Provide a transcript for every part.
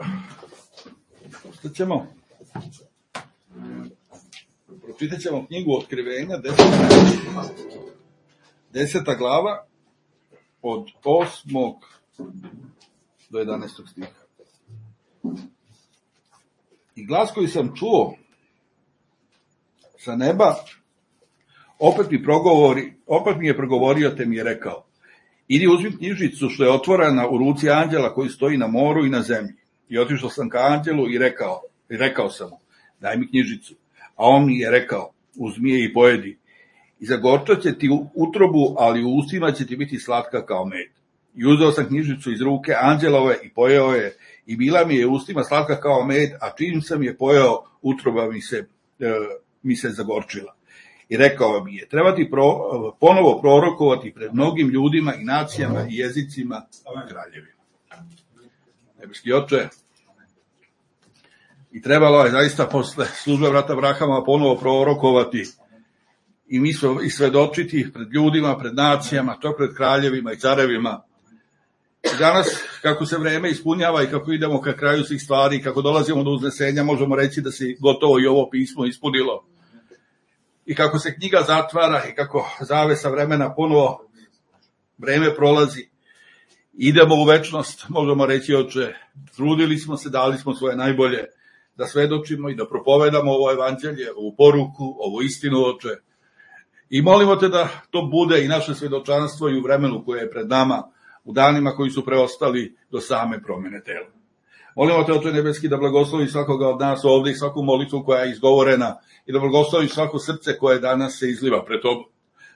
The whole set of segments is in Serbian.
Dobro. Šta ćemo? Pročitat ćemo knjigu Otkrivenja, 10. glava, od 8. do 11. stiha. I glas koji sam čuo sa neba, opet mi je progovorio, te mi je rekao: idi uzmi knjižicu što je otvorena u ruci anđela koji stoji na moru i na zemlji. I otišao sam ka anđelu i rekao sam mu: daj mi knjižicu. A on mi je rekao: uzmi je i pojedi. I zagorčat će ti utrobu, ali u ustima će ti biti slatka kao med. I uzeo sam knjižicu iz ruke anđelove i pojeo je, i bila mi je u ustima slatka kao med, a čim sam je pojeo, utroba mi se zagorčila. I rekao mi je: treba ti ponovo prorokovati pred mnogim ljudima i nacijama i jezicima i kraljevima. Nebeski Oče, i trebalo je zaista posle službe brata Abrahama ponovo prorokovati i mi i svedočiti pred ljudima, pred nacijama, to pred kraljevima i carevima. I danas, kako se vreme ispunjava i kako idemo ka kraju svih stvari, kako dolazimo do uznesenja, možemo reći da se gotovo i ovo pismo ispunilo. I kako se knjiga zatvara i kako zavesa vremena ponovo vreme prolazi, idemo u večnost, možemo reći: Oče, trudili smo se, dali smo svoje najbolje da svedočimo i da propovedamo ovo evanđelje, ovu poruku, ovu istinu, Oče. I molimo te da to bude i naše svedočanstvo i u vremenu koje je pred nama, u danima koji su preostali do same promjene tela. Molimo te, Oče nebeski, da blagoslovi svakoga od nas ovdje i svaku molitvu koja je izgovorena i da blagoslovi svako srce koje danas se izliva pred tobom.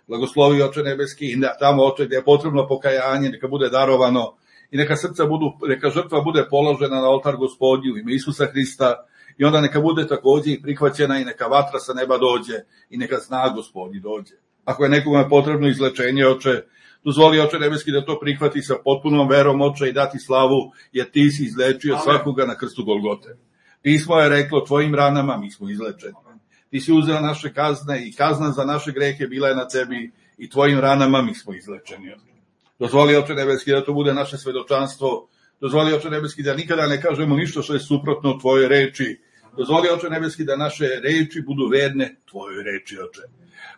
Blagoslovi, Oče nebeski, i tamo, Oče, gdje je potrebno pokajanje, neka bude darovano i neka žrtva bude položena na oltar Gospodnji u ime Isusa Hrista, i onda neka bude također i prihvaćena i neka vatra sa neba dođe i neka znak Gospodnji dođe. Ako je nekome potrebno izlečenje, Oče, dozvoli, Oče nebeski, da to prihvati sa potpunom verom, Oče, i dati slavu, jer ti si izlečio svakoga na krstu Golgote. Pismo je reklo: tvojim ranama mi smo izlečeni. Ti si uzeo naše kazne i kazna za naše grehe bila je na tebi i tvojim ranama mi smo izlečeni. Dozvoli, Oče nebeski, da to bude naše svedočanstvo. Dozvoli, Oče nebeski, da nikada ne kažemo ništa što je suprotno u tvojoj reči. Dozvoli, Oče nebeski, da naše reči budu verne tvojoj reči, Oče.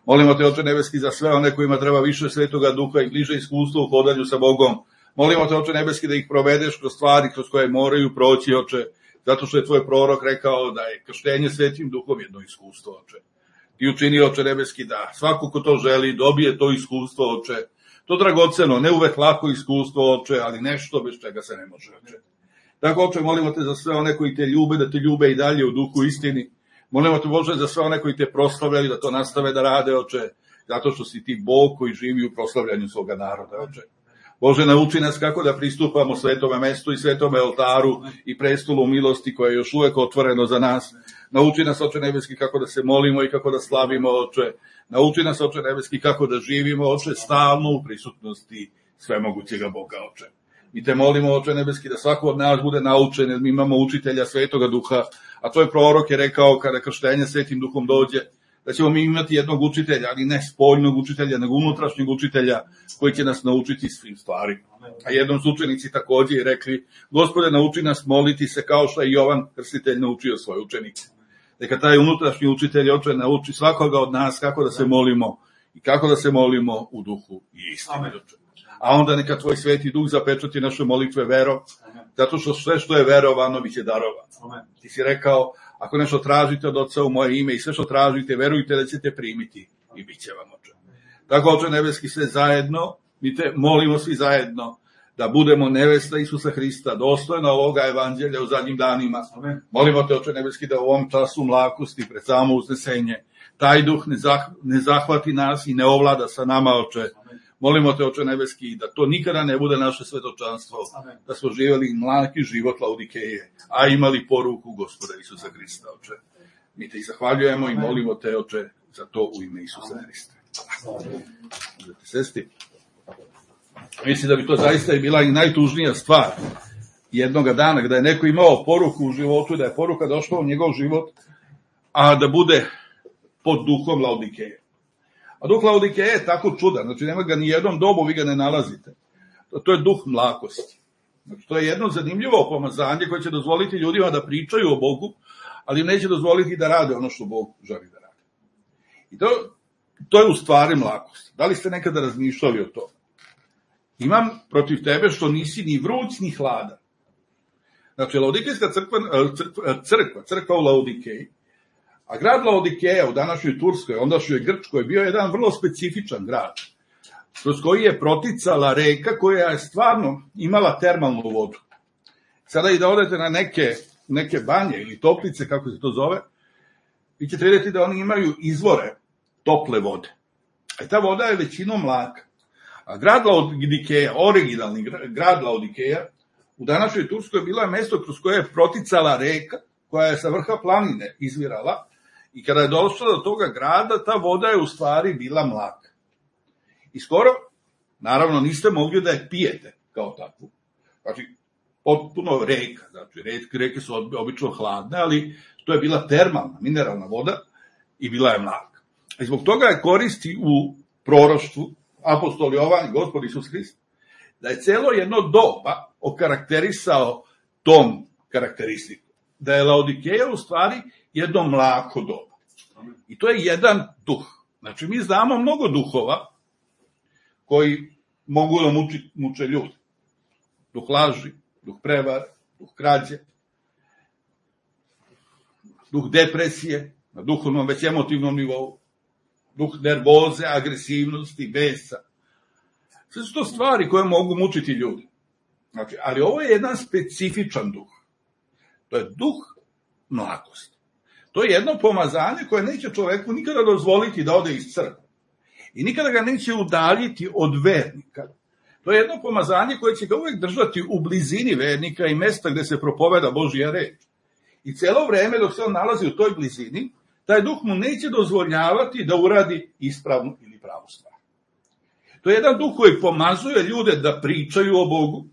Molimo te, Oče nebeski, za sve one kojima treba više Svetoga Duha i bliže iskustvo u hodanju sa Bogom. Molimo te, Oče nebeski, da ih provedeš kroz stvari kroz koje moraju proći, Oče, zato što je tvoj prorok rekao da je krštenje Svetim Duhom jedno iskustvo, Oče. Ti učini, Oče nebeski, da svako ko to želi dobije to iskustvo, Oče. To dragoceno, ne uvek lako iskustvo, Oče, ali nešto bez čega se ne može, Oče. Tako, Oče, molimo te za sve one koji te ljube, da te ljube i dalje u duhu istini. Molimo te, Bože, za sve one koji te proslavljaju, da to nastave da rade, Oče, zato što si ti Bog koji živi u proslavljanju svoga naroda, Oče. Bože, nauči nas kako da pristupamo svetome mestu i svetome oltaru i prestolu milosti koje je još uvek otvoreno za nas. Nauči nas, Oče nebeski, kako da se molimo i kako da slavimo, Oče. Nauči nas, Oče nebeski, kako da živimo, Oče, stalno u prisutnosti svemogućega Boga, Oče. Mi te molimo, Oče nebeski, da svako od nas bude naučen, jer mi imamo učitelja Svetoga Duha, a tvoj prorok je rekao kada krštenje Svetim Duhom dođe, da ćemo mi imati jednog učitelja, ali ne spoljnog učitelja, nego unutrašnjeg učitelja koji će nas naučiti svim stvarima. A jednom su učenici također rekli: Gospode, nauči nas moliti se kao što je Jovan Krstitelj naučio svoje učenike. Neka taj unutrašnji učitelj, Oče, nauči svakoga od nas kako da se molimo i kako da se molimo u duhu i istini, Oče. A onda neka tvoj Sveti Duh zapečati naše molitve verom, zato što sve što je verovano biće darovano. Ti si rekao: ako nešto tražite od Oca u moje ime i sve što tražite, verujte da ćete primiti i bit će vam, Oče. Tako, Oče nebeski, sve zajedno, mi te molimo svi zajedno da budemo nevesta Isusa Hrista, dostojna ovoga evanđelja u zadnjim danima. Molimo te, Oče nebeski, da u ovom času mlakosti pred samo uznesenje taj duh ne zahvati nas i ne ovlada sa nama, Oče. Molimo te, Oče nebeski, da to nikada ne bude naše svedočanstvo, da smo živjeli mlaki život Laodikeje, a imali poruku Gospoda Isusa Hrista, Oče. Mi te i zahvaljujemo i molimo te, Oče, za to u ime Isusa Hrista. Možete sesti. Mislim da bi to zaista i bila i najtužnija stvar jednoga dana, kada je neko imao poruku u životu, da je poruka došla u njegov život, a da bude pod duhom Laodikeje. A duh Laodikeje je tako čudan, znači nema ga ni jednom dobu, vi ga ne nalazite. To je duh mlakosti. Znači, to je jedno zanimljivo pomazanje koje će dozvoliti ljudima da pričaju o Bogu, ali im neće dozvoliti da rade ono što Bog želi da rade. I to je u stvari mlakost. Da li ste nekada razmišljali o to? Imam protiv tebe što nisi ni vruć ni hladan. Znači, Laodikejska crkva u Laodikeji, a grad Laodikeja u današnjoj Turskoj, ondašnjoj Grčkoj, bio je jedan vrlo specifičan grad, kroz koji je proticala reka koja je stvarno imala termalnu vodu. Sada i da odete na neke banje ili toplice, kako se to zove, vi ćete vidjeti da oni imaju izvore tople vode. A ta voda je većinom mlaka. A grad Laodikeja, originalni grad Laodikeja, u današnjoj Turskoj bila je mesto kroz koje je proticala reka, koja je sa vrha planine izvirala, i kada je došla do toga grada, ta voda je u stvari bila mlaka. I skoro, naravno, niste mogli da je pijete kao takvu. Znači, potpuno reka, znači, reke su obično hladne, ali to je bila termalna, mineralna voda i bila je mlaka. I zbog toga je koristi u proroštvu apostol Jovan i Gospod Isus Hrist, da je celo jedno doba okarakterisao tom karakteristiku. Da je Laodikeja u stvari jedno mlako doba. I to je jedan duh. Znači, mi znamo mnogo duhova koji mogu da muče ljudi. Duh laži, duh prevare, duh krađe, duh depresije, na duhovnom već emotivnom nivou, duh nervoze, agresivnosti, besa. Sve su to stvari koje mogu mučiti ljudi. Znači, ali ovo je jedan specifičan duh. To je duh mlakosti. To je jedno pomazanje koje neće čoveku nikada dozvoliti da ode iz crkve. I nikada ga neće udaljiti od vernika. To je jedno pomazanje koje će ga uvek držati u blizini vernika i mesta gde se propoveda Božja reč. I celo vreme dok se on nalazi u toj blizini, taj duh mu neće dozvoljavati da uradi ispravnu ili pravu stvar. To je jedan duh koji pomazuje ljude da pričaju o Bogu,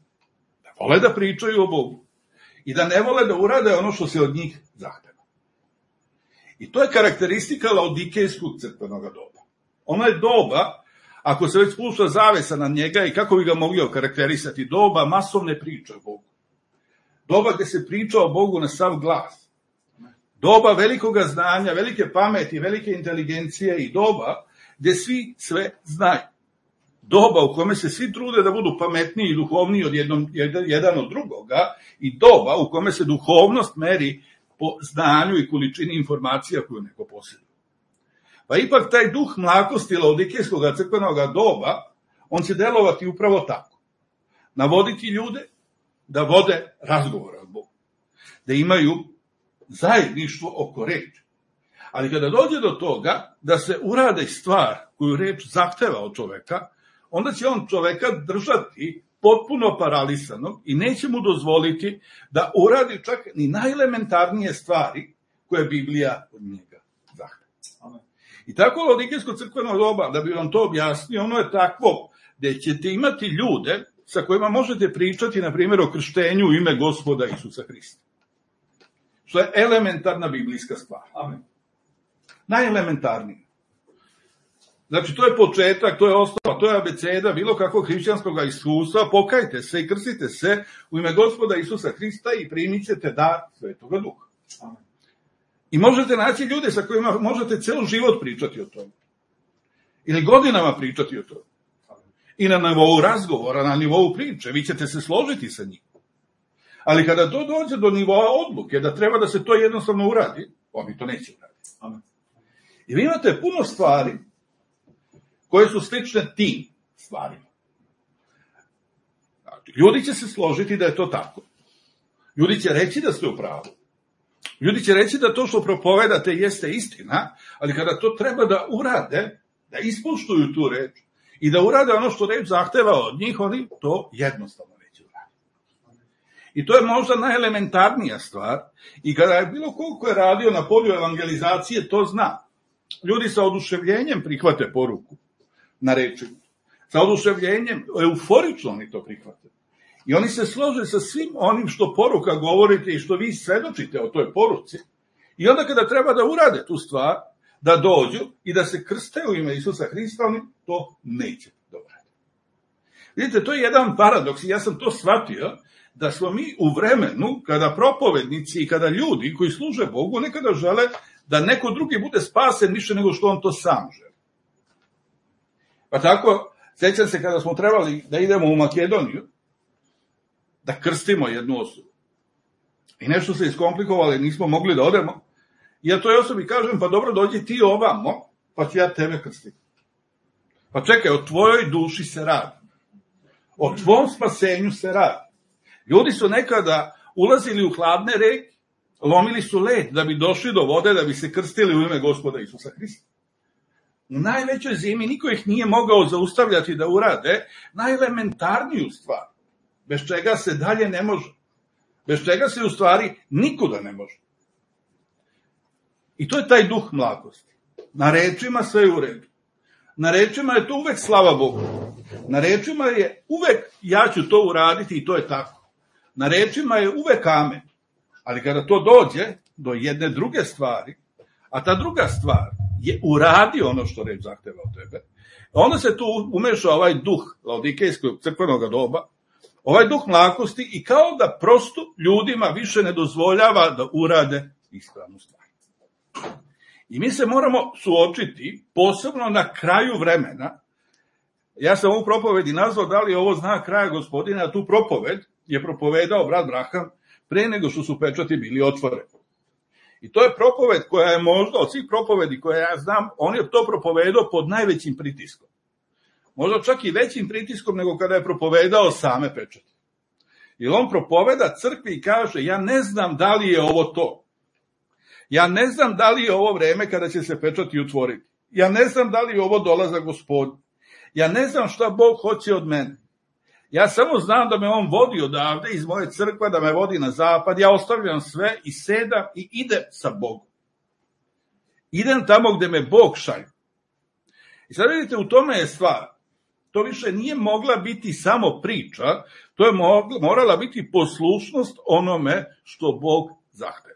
da vole da pričaju o Bogu i da ne vole da urade ono što se od njih zahteva. I to je karakteristika Laodikejskog crkvenog doba. Ono je doba, ako se već spušta zavesa na njega i kako bi ga mogli okarakterisati, doba masovne priče o Bogu. Doba gde se priča o Bogu na sav glas. Doba velikoga znanja, velike pameti, velike inteligencije i doba gde svi sve znaju. Doba u kome se svi trude da budu pametniji i duhovniji jedan od drugoga i doba u kome se duhovnost meri po znanju i količini informacija koju neko posjeduje. Pa ipak taj duh mlakosti Laodikejskog crkvenog doba, on će delovati upravo tako. Navoditi ljude da vode razgovore o Bogu, da imaju zajedništvo oko reči. Ali kada dođe do toga da se urade stvar koju reč zahteva od čoveka, onda će on čoveka držati potpuno paralisanog i neće mu dozvoliti da uradi čak ni najelementarnije stvari koje Biblija od njega zahteva. I tako Laodikejsko crkveno doba, da bi vam to objasnio, ono je takvo gde ćete imati ljude sa kojima možete pričati, na primjer, o krštenju u ime Gospoda Isusa Hrista. Što je elementarna biblijska stvar. Amen. Najelementarnije. Znači, to je početak, to je osnova, to je abeceda bilo kakvog hrišćanskog iskustva. Pokajte se i krstite se u ime Gospoda Isusa Hrista i primit ćete dar Svetoga Duha. Amen. I možete naći ljude sa kojima možete ceo život pričati o tome. Ili godinama pričati o tome. I na nivou razgovora, na nivou priče, vi ćete se složiti sa njim. Ali kada to dođe do nivoa odluke, da treba da se to jednostavno uradi, oni to neće uraditi. Amen. I vi imate puno stvari koje su slične tim stvarima. Znači, ljudi će se složiti da je to tako. Ljudi će reći da ste u pravu. Ljudi će reći da to što propovedate jeste istina, ali kada to treba da urade, da ispoštuju tu reč i da urade ono što reč zahteva od njih, oni to jednostavno neće uraditi. I to je možda najelementarnija stvar i kada je bilo koliko je radio na polju evangelizacije, to zna. Ljudi sa oduševljenjem prihvate poruku na reči. Sa oduševljenjem, euforično oni to prihvate. I oni se slože sa svim onim što poruka govorite i što vi svedočite o toj poruci. I onda kada treba da urade tu stvar, da dođu i da se krste u ime Isusa Hrista, oni to neće da urade. Vidite, to je jedan paradoks i ja sam to shvatio, da smo mi u vremenu kada propovednici i kada ljudi koji služe Bogu nekada žele da neko drugi bude spasen više nego što on to sam želi. Pa tako, sjećam se kada smo trebali da idemo u Makedoniju, da krstimo jednu osobu. I nešto se iskomplikovalo, nismo mogli da odemo. I ja toj osobi kažem, pa dobro, dođi ti ovamo, pa ću ja tebe krstiti. Pa čekaj, o tvojoj duši se radi. O tvom spasenju se radi. Ljudi su nekada ulazili u hladne reke, lomili su led da bi došli do vode, da bi se krstili u ime Gospoda Isusa Hrista. U najvećoj zimi niko ih nije mogao zaustavljati da urade najelementarniju stvar, bez čega se dalje ne može. Bez čega se u stvari nikuda ne može. I to je taj duh mlakosti. Na rečima sve je u redu. Na rečima je to uvek slava Bogu. Na rečima je uvek ja ću to uraditi i to je tako. Na rečima je uvek amen. Ali kada to dođe do jedne druge stvari, a ta druga stvar je uradi ono što reč zahteva od tebe, onda se tu umeša ovaj duh laodikejskog crkvenog doba, ovaj duh mlakosti i kao da prosto ljudima više ne dozvoljava da urade ispravnu stvar. I mi se moramo suočiti, posebno na kraju vremena. Ja sam ovu propovedi nazvao da li je ovo znak kraja Gospodina, a tu propoved je propovedao brat Braham pre nego što su pečati bili otvoreni. I to je propoved koja je možda od svih propovedi koje ja znam, on je to propovedao pod najvećim pritiskom. Možda čak i većim pritiskom nego kada je propovedao same pečate. Jer on propoveda crkvi i kaže, ja ne znam da li je ovo to. Ja ne znam da li je ovo vreme kada će se pečati otvoriti. Ja ne znam da li je ovo dolazak Gospodnji. Ja ne znam šta Bog hoće od mene. Ja samo znam da me on vodi odavde iz moje crkve, da me vodi na zapad. Ja ostavljam sve i sedam i idem sa Bogom. Idem tamo gde me Bog šalje. I sad vidite, u tome je stvar. To više nije mogla biti samo priča, to je morala biti poslušnost onome što Bog zahteva.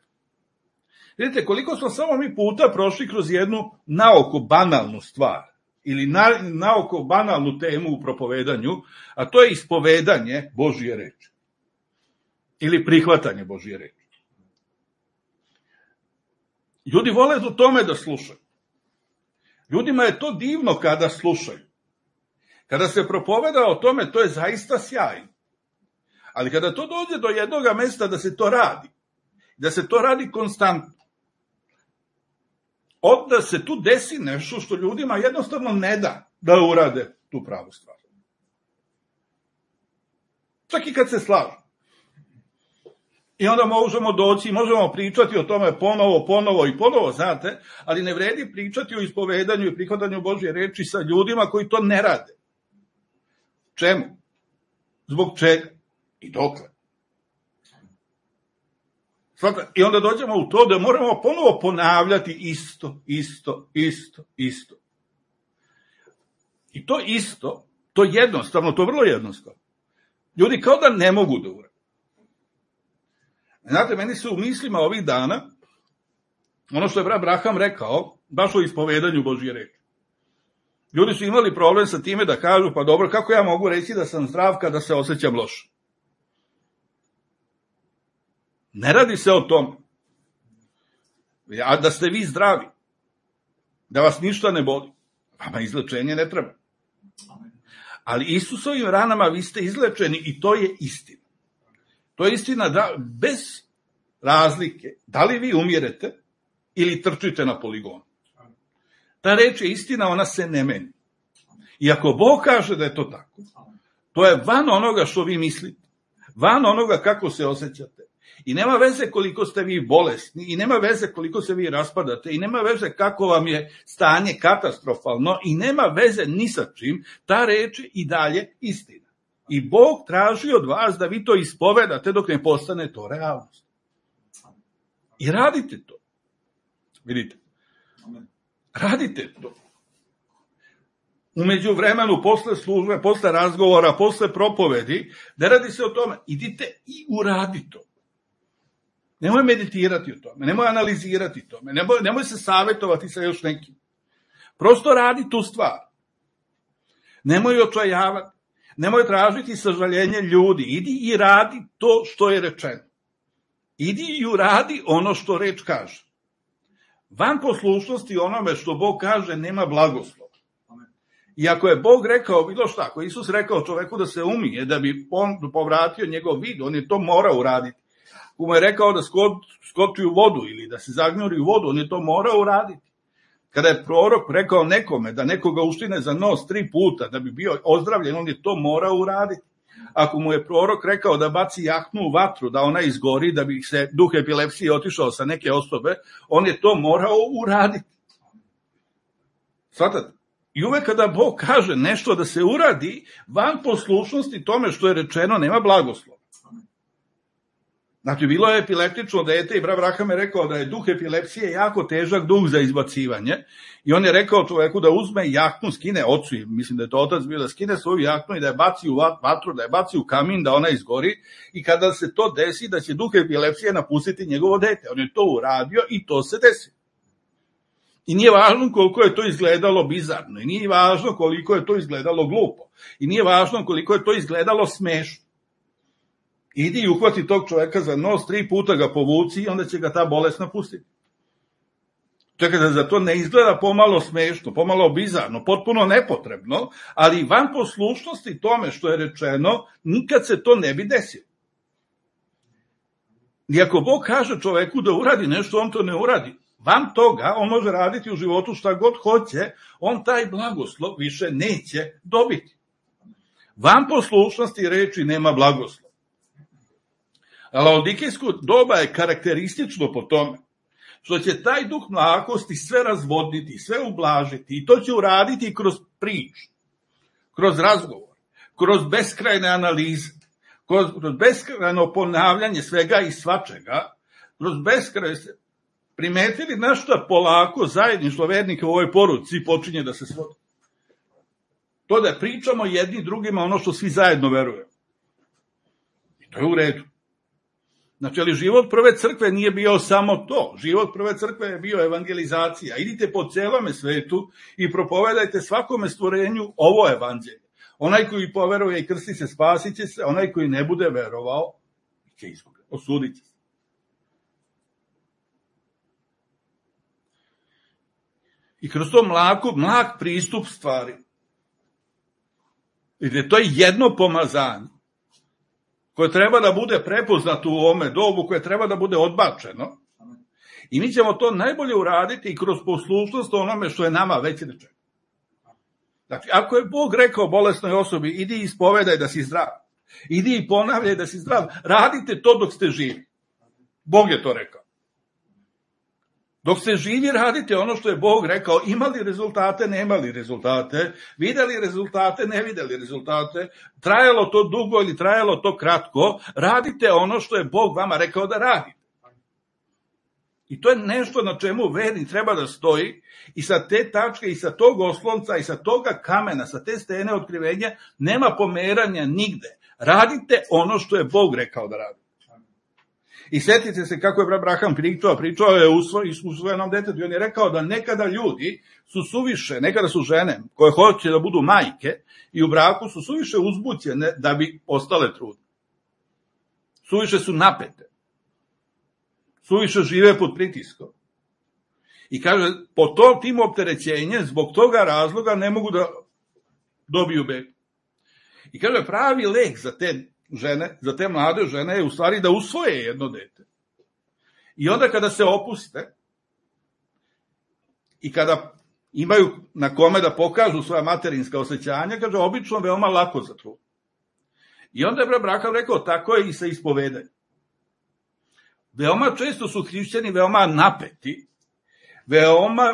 Vidite, koliko smo samo mi puta prošli kroz jednu naoko banalnu stvar, ili naoko banalnu temu u propovedanju, a to je ispovedanje Božije reči. Ili prihvatanje Božije reči. Ljudi vole u tome da slušaju. Ljudima je to divno kada slušaju. Kada se propoveda o tome, to je zaista sjajno. Ali kada to dođe do jednog mesta da se to radi, da se to radi konstantno, onda se tu desi nešto što ljudima jednostavno ne da urade tu pravu stvar. Čak i kad se slažu. I onda možemo doći, možemo pričati o tome ponovo, znate, ali ne vredi pričati o ispovedanju i prihvatanju Božje reči sa ljudima koji to ne rade. Čemu? Zbog čega? I dokle? I onda dođemo u to da moramo ponovo ponavljati isto. I to isto, to jednostavno, to vrlo jednostavno. Ljudi kao da ne mogu da urade. Znate, meni se u mislima ovih dana, ono što je brat Braham rekao, baš o ispovedanju Božje reči. Ljudi su imali problem sa time da kažu, pa dobro, kako ja mogu reći da sam zdrav kada se osjećam loše? Ne radi se o tome. A da ste vi zdravi, da vas ništa ne boli, vama izlečenje ne treba. Ali Isusovim ranama vi ste izlečeni i to je istina. To je istina da bez razlike, da li vi umirete ili trčite na poligonu. Ta reč je istina, ona se ne meni. I ako Bog kaže da je to tako, to je van onoga što vi mislite, van onoga kako se osjećate. I nema veze koliko ste vi bolesni, i nema veze koliko se vi raspadate, i nema veze kako vam je stanje katastrofalno, i nema veze ni sa čim, ta reč je i dalje istina. I Bog traži od vas da vi to ispovedate dok ne postane to realnost. I radite to. Vidite. Radite to. U međuvremenu, posle službe, posle razgovora, posle propovedi, ne radi se o tome. Idite i uradi to. Nemoj meditirati o tome, nemoj analizirati o tome, nemoj se savjetovati sa još nekim. Prosto radi tu stvar. Nemoj očajavati, Nemoj tražiti sažaljenje ljudi. Idi i radi to što je rečeno. Idi i uradi ono što reč kaže. Van poslušnosti onome što Bog kaže nema blagoslova. I ako je Bog rekao bilo šta, ako Isus rekao čoveku da se umije, da bi on povratio njegov vid, on je to morao uraditi. Ako mu je rekao da skoči u vodu ili da se zagnjuri u vodu, on je to morao uraditi. Kada je prorok rekao nekome da nekoga uštine za nos 3 puta da bi bio ozdravljen, on je to morao uraditi. Ako mu je prorok rekao da baci jaknu u vatru, da ona izgori, da bi se duh epilepsije otišao sa neke osobe, on je to morao uraditi. Svatate? I uvek kada Bog kaže nešto da se uradi, van poslušnosti tome što je rečeno nema blagoslova. Znači, bilo je epileptično dete i brat Abraham je rekao da je duh epilepsije jako težak duh za izbacivanje i on je rekao čoveku da uzme jaknu, skine ocu, mislim da je to otac bio, da skine svoju jaknu i da je baci u vatru, da je baci u kamin, da ona izgori i kada se to desi da će duh epilepsije napustiti njegovo dete. On je to uradio i to se desi. I nije važno koliko je to izgledalo bizarno, i nije važno koliko je to izgledalo glupo, i nije važno koliko je to izgledalo smešno. Idi i uhvati tog čoveka za nos, 3 puta ga povuci i onda će ga ta bolest napustiti. Čekaj, da za to ne izgleda pomalo smešno, pomalo bizarno, potpuno nepotrebno, ali van poslušnosti tome što je rečeno, nikad se to ne bi desilo. I ako Bog kaže čoveku da uradi nešto, on to ne uradi. Van toga, on može raditi u životu šta god hoće, on taj blagoslov više neće dobiti. Van poslušnosti reči nema blagoslova. Laodikejsko doba je karakteristično po tome što će taj duh mlakosti sve razvodniti, sve ublažiti i to će uraditi kroz priču, kroz razgovor, kroz beskrajne analize, kroz beskrajno ponavljanje svega i svačega, kroz beskrajne... Primetili nešto polako zajedništvo vernika u ovoj poruci počinje da se svodi. To da pričamo jedni drugima ono što svi zajedno verujemo. I to je u redu. Znači, ali život prve crkve nije bio samo to. Život prve crkve je bio evangelizacija. Idite po celome svetu i propovedajte svakome stvorenju ovo evanđelje. Onaj koji poveruje i krsti se, spasit će se. Onaj koji ne bude verovao, će izgubiti, osudit će se. I kroz to mlak pristup stvari. Vidite, to je jedno pomazanje koje treba da bude prepoznato u ovome dobu, koje treba da bude odbačeno. I mi ćemo to najbolje uraditi i kroz poslušnost onome što je nama već rečeno. Znači, ako je Bog rekao bolesnoj osobi, idi i ispovedaj da si zdrav, idi i ponavljaj da si zdrav, radite to dok ste živi. Bog je to rekao. Dok ste živi, radite ono što je Bog rekao, imali rezultate, nemali rezultate, videli rezultate, ne videli rezultate, trajalo to dugo ili trajalo to kratko, radite ono što je Bog vama rekao da radite. I to je nešto na čemu vernik treba da stoji i sa te tačke, i sa tog oslonca, i sa toga kamena, sa te stene otkrivenja, nema pomeranja nigde. Radite ono što je Bog rekao da radite. I sjetite se kako je brat Abraham pričao je u svojenom detetu i on je rekao da nekada ljudi su suviše, nekada su žene koje hoće da budu majke i u braku su suviše uzbućene da bi ostale trudne. Suviše su napete. Suviše žive pod pritiskom. I kaže, po tim opterećenjem, zbog toga razloga ne mogu da dobiju bebu. I kaže, pravi lek za te žene, za te mlade žene je u stvari da usvoje jedno dete. I onda kada se opuste i kada imaju na kome da pokažu svoja materinska osjećanja, kaže, obično veoma lako za trud. I onda je brat Abraham rekao, tako je i sa ispovedanjem. Veoma često su hrišćani veoma napeti,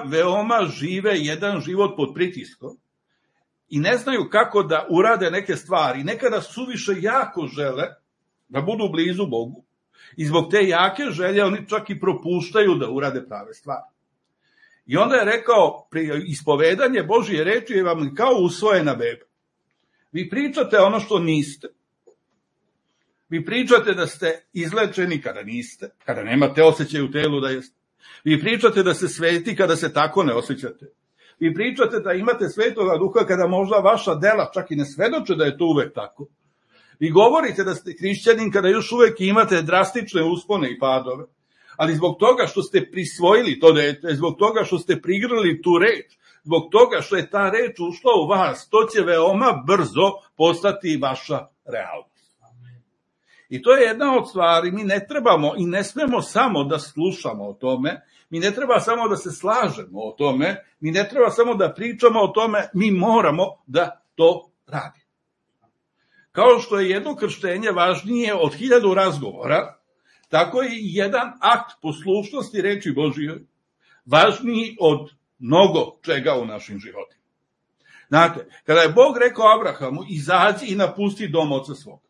veoma žive jedan život pod pritiskom, i ne znaju kako da urade neke stvari. Nekada suviše jako žele da budu blizu Bogu. I zbog te jake želje oni čak i propuštaju da urade prave stvari. I onda je rekao, ispovedanje Božije reči je vam kao usvojena beba. Vi pričate ono što niste. Vi pričate da ste izlečeni kada niste, kada nemate osjećaj u telu da jeste. Vi pričate da se sveti kada se tako ne osjećate. Vi pričate da imate Svetoga Duha kada možda vaša dela čak i ne svedoče da je to uvek tako. Vi govorite da ste hrišćanin kada još uvek imate drastične uspone i padove, ali zbog toga što ste prisvojili to dete, zbog toga što ste prigrlili tu reč, zbog toga što je ta reč ušla u vas, to će veoma brzo postati vaša realnost. I to je jedna od stvari, mi ne trebamo i ne smemo samo da slušamo o tome, mi ne treba samo da se slažemo o tome, mi ne treba samo da pričamo o tome, mi moramo da to radimo. Kao što je jedno krštenje važnije od 1000 razgovora, tako je i jedan akt poslušnosti reči Božijoj važniji od mnogo čega u našim životima. Znate, kada je Bog rekao Abrahamu, izađi i napusti dom oca svoga.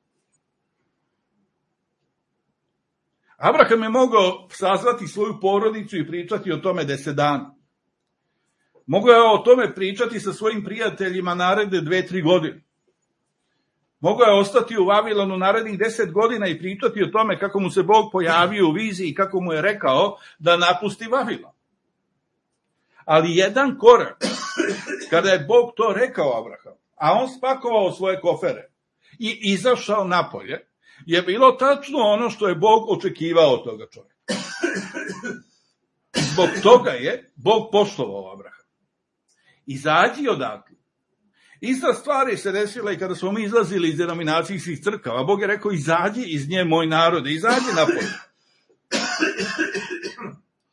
Abraham je mogao sazvati svoju porodicu i pričati o tome 10 dana. Mogao je o tome pričati sa svojim prijateljima naredne 2-3 godine. Mogao je ostati u Vavilonu narednih 10 godina i pričati o tome kako mu se Bog pojavio u viziji i kako mu je rekao da napusti Vavilon. Ali jedan korak, kada je Bog to rekao Abrahamu, a on spakovao svoje kofere i izašao napolje, je bilo tačno ono što je Bog očekivao od toga čovjeka. Zbog toga je Bog poštovao Abrahama. Izađi odatle. Ista stvar se desila i kada smo mi izlazili iz denominacijskih crkava. Bog je rekao, izađi iz nje, moj narode, izađi napolje.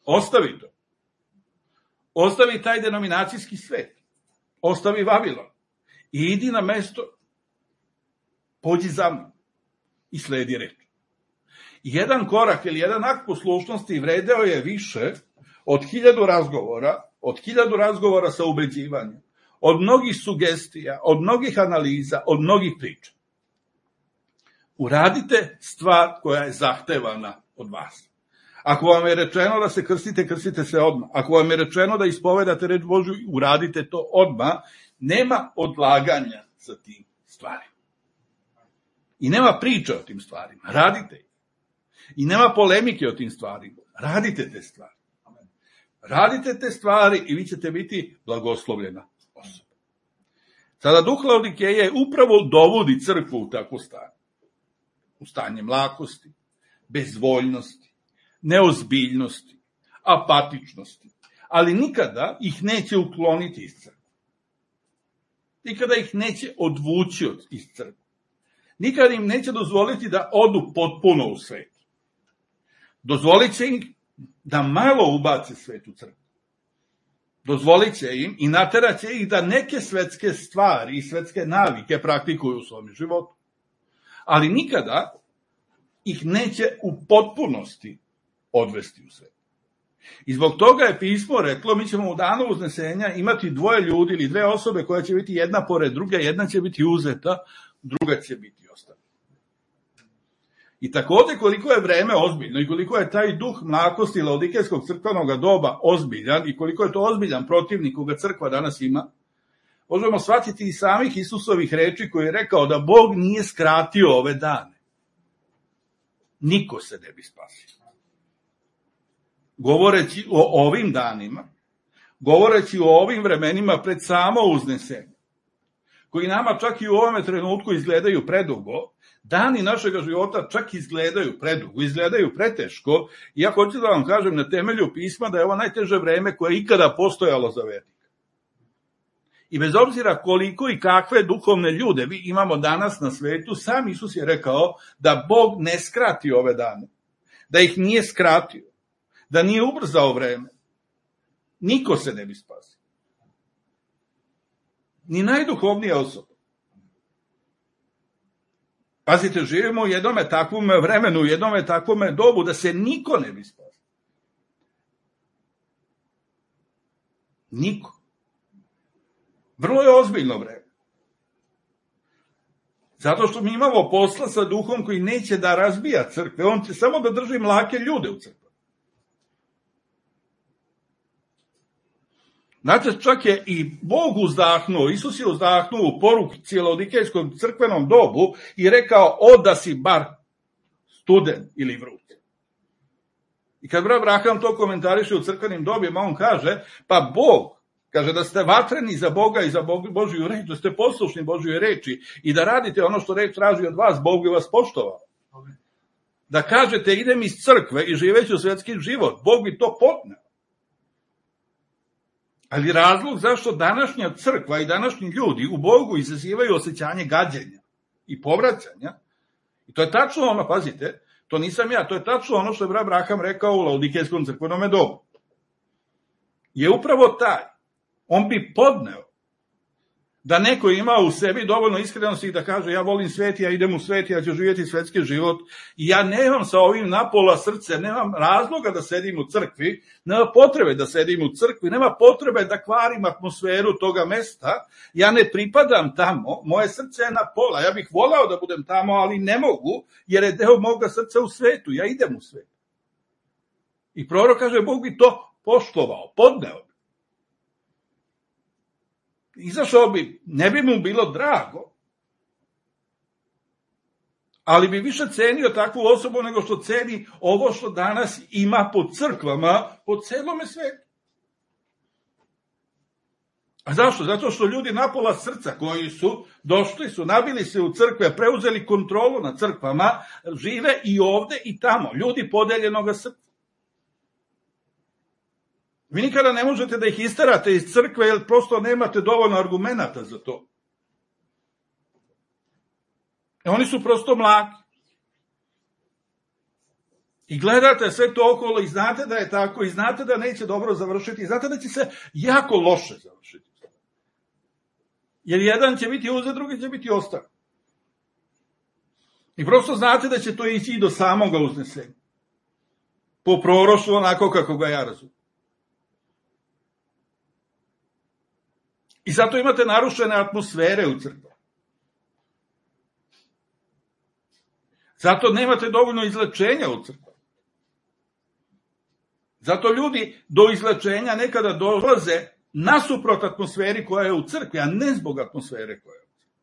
Ostavi to. Ostavi taj denominacijski svet. Ostavi Vavilon. I idi na mesto, pođi za mnom i sledi reč. Jedan korak ili jedan akt poslušnosti vredeo je više od 1000 razgovora, od 1000 razgovora sa ubeđivanjem, od mnogih sugestija, od mnogih analiza, od mnogih priča. Uradite stvar koja je zahtevana od vas. Ako vam je rečeno da se krstite, krstite se odmah. Ako vam je rečeno da ispovedate reč Božju, uradite to odmah. Nema odlaganja sa tim stvarima. I nema priče o tim stvarima. Radite ih. I nema polemike o tim stvarima. Radite te stvari. Radite te stvari i vi ćete biti blagoslovljena osoba. Sada duh Laodikeje upravo dovodi crkvu u takvo stanje. U stanje mlakosti, bezvoljnosti, neozbiljnosti, apatičnosti. Ali nikada ih neće ukloniti iz crkve. Nikada ih neće odvući iz crkve. Nikada im neće dozvoliti da odu potpuno u svet. Dozvolit će im da malo ubace svet u crkvu. Dozvolit će im i naterat će ih da neke svetske stvari i svetske navike praktikuju u svom životu. Ali nikada ih neće u potpunosti odvesti u svet. I zbog toga je pismo reklo, mi ćemo u danu uznesenja imati 2 ljudi ili 2 osobe koja će biti jedna pored druge, jedna će biti uzeta, druga će biti ostavljena. I takođe koliko je vreme ozbiljno i koliko je taj duh mlakosti laodikejskog crkvenog doba ozbiljan i koliko je to ozbiljan protivnik koga crkva danas ima, možemo shvatiti i samih Isusovih reči koji je rekao da Bog nije skratio ove dane. Niko se ne bi spasio. Govoreći o ovim danima, govoreći o ovim vremenima pred samo uznesenje, koji nama čak i u ovome trenutku izgledaju predugo, dani našega života čak izgledaju predugo, izgledaju preteško, i ja hoću da vam kažem na temelju pisma da je ovo najteže vreme koje je ikada postojalo za vernika. I bez obzira koliko i kakve duhovne ljude mi imamo danas na svetu, sam Isus je rekao da Bog ne skrati ove dane, da ih nije skratio, da nije ubrzao vreme. Niko se ne bi spasio. Ni najduhovnija osoba. Pazite, živimo u jednome takvom vremenu, u jednome takvome dobu da se niko ne bi spasio. Niko. Vrlo je ozbiljno vreme. Zato što mi imamo posla sa duhom koji neće da razbija crkve, on će samo da drži mlake ljude u crkvi. Znate, čak je i Bog uzdahnuo, Isus je uzdahnuo u poruci laodikejskom crkvenom dobu i rekao, da si bar studen ili vruć. I kad brat Abraham to komentariše u crkvenim dobima, on kaže, pa Bog Kaže da ste vatreni za Boga i za Božju reč, da ste poslušni Božjoj reči i da radite ono što reč traži od vas, Bog bi vas poštovao. Da kažete idem iz crkve i živeću svetski život, Bog bi to podneo. Ali razlog zašto današnja crkva i današnji ljudi u Bogu izazivaju osjećanje gađenja i povraćanja, i to je tačno ono, pazite, to nisam ja, to je tačno ono što je brat Abraham rekao u Laodikejskom crkvenom domu. Je upravo taj, on bi podneo da neko ima u sebi dovoljno iskrenosti da kaže ja volim svet, ja idem u svet, ja ću živjeti svetski život i ja nemam sa ovim napola srce, nemam razloga da sedim u crkvi, nema potrebe da sedim u crkvi, nema potrebe da kvarim atmosferu toga mesta, ja ne pripadam tamo, moje srce je na pola, ja bih volao da budem tamo, ali ne mogu, jer je deo moga srca u svetu, ja idem u svet. I prorok kaže, Bog bi to poštovao, podneo. Izašao bi, ne bi mu bilo drago, ali bi više cenio takvu osobu nego što ceni ovo što danas ima po crkvama, po celome svetu. A zašto? Zato što ljudi napola srca koji su došli, su nabili se u crkve, preuzeli kontrolu nad crkvama, žive i ovde i tamo, ljudi podeljenoga srca. Vi nikada ne možete da ih isterate iz crkve, jer prosto nemate dovoljno argumenata za to. Oni su prosto mlaki. I gledate sve to okolo i znate da je tako, i znate da neće dobro završiti, i znate da će se jako loše završiti. Jer jedan će biti uzet, drugi će biti ostavljen. I prosto znate da će to ići i do samoga uznesenja. Po proroštvu onako kako ga ja razumijem. I zato imate narušene atmosfere u crkvi. Zato nemate dovoljno izlečenja u crkvi. Zato ljudi do izlečenja nekada dolaze nasuprot atmosferi koja je u crkvi, a ne zbog atmosfere koja je u crkvi.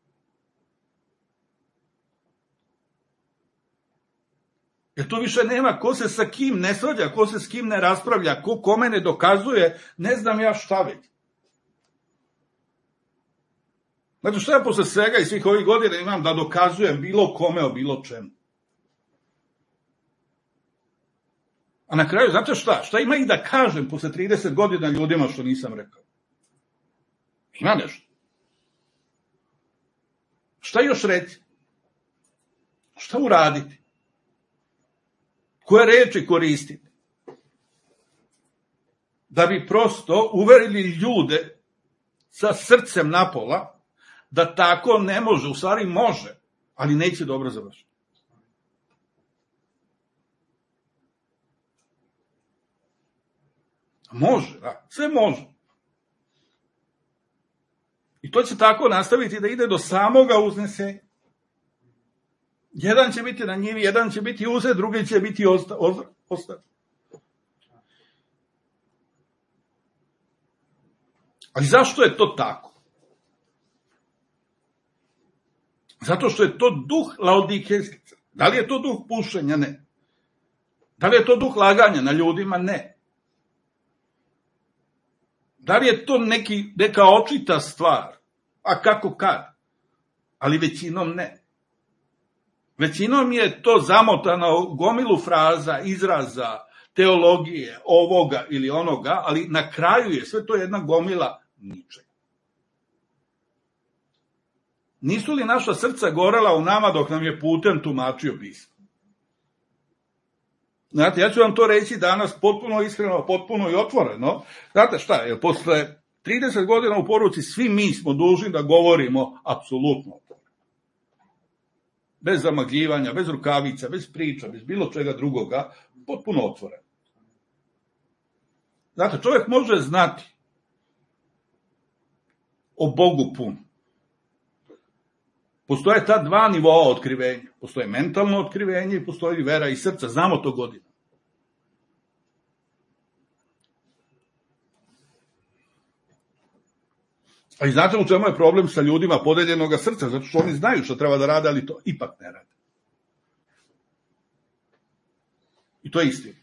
Jer tu više nema ko se sa kim ne svađa, ko se s kim ne raspravlja, ko kome ne dokazuje, ne znam ja šta već. Znači šta ja posle svega i svih ovih godina imam da dokazujem bilo kome o bilo čemu. A na kraju, znate šta? Šta ima i da kažem posle 30 godina ljudima što nisam rekao? Ima nešto. Šta još reći? Šta uraditi? Koje reči koristiti? Da bi prosto uverili ljude sa srcem napola, da tako ne može, u stvari može, ali neće dobro završiti. Može, da, sve može. I to će tako nastaviti da ide do samoga uznesenja. Jedan će biti na njivi, jedan će biti uzet, drugi će biti ostavljen. Ali zašto je to tako? Zato što je to duh laodikejski. Da li je to duh pušenja? Ne. Da li je to duh laganja na ljudima? Ne. Da li je to neka očita stvar? A kako kad? Ali većinom ne. Većinom je to zamotano u gomilu fraza, izraza, teologije, ovoga ili onoga, ali na kraju je sve to jedna gomila ničega. Nisu li naša srca gorela u nama dok nam je putem tumačio pismo? Znate, ja ću vam to reći danas potpuno iskreno, potpuno i otvoreno. Znate šta, jer posle 30 godina u poruci svi mi smo dužni da govorimo apsolutno otvoreno. Bez zamagljivanja, bez rukavica, bez priča, bez bilo čega drugoga, potpuno otvoreno. Znate, čovjek može znati o Bogu puno. Postoje ta dva nivoa otkrivenja. Postoje mentalno otkrivenje i postoji vera i srca. Znamo to godina. A i znate u čemu je problem sa ljudima podeljenoga srca? Zato što oni znaju što treba da rade, ali to ipak ne rade. I to je istina.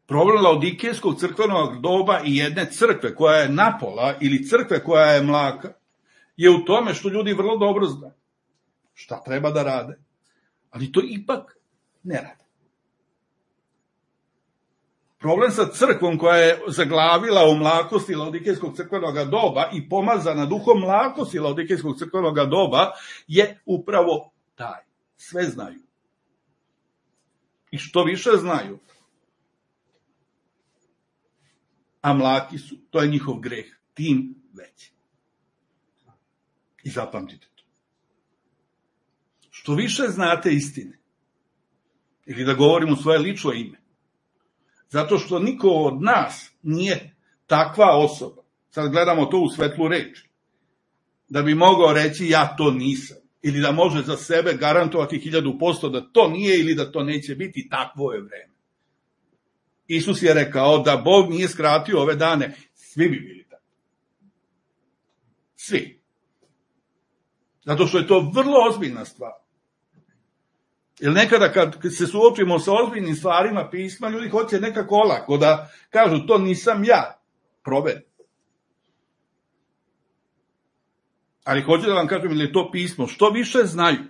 Problem laodikejskog crkvenog doba i jedne crkve koja je napola ili crkve koja je mlaka je u tome što ljudi vrlo dobro znaju šta treba da rade, ali to ipak ne rade. Problem sa crkvom koja je zaglavila u mlakosti laodikejskog crkvenog doba i pomazana duhom mlakosti laodikejskog crkvenog doba je upravo taj. Sve znaju. I što više znaju, a mlaki su, to je njihov greh, tim veći. I zapamtite to. Što više znate istine, ili da govorim u svoje lično ime, zato što niko od nas nije takva osoba, sad gledamo to u svetlu reči, da bi mogao reći ja to nisam, ili da može za sebe garantovati 1000% da to nije ili da to neće biti, takvo je vreme. Isus je rekao da Bog nije skratio ove dane, svi bi bili tako. Svi. Zato što je to vrlo ozbiljna stvar. Jer nekada kad se suočimo sa ozbiljnim stvarima pisma, ljudi hoće nekako olako da kažu to nisam ja, proveri. Ali hoću da vam kažem, ili je to pismo, što više znaju,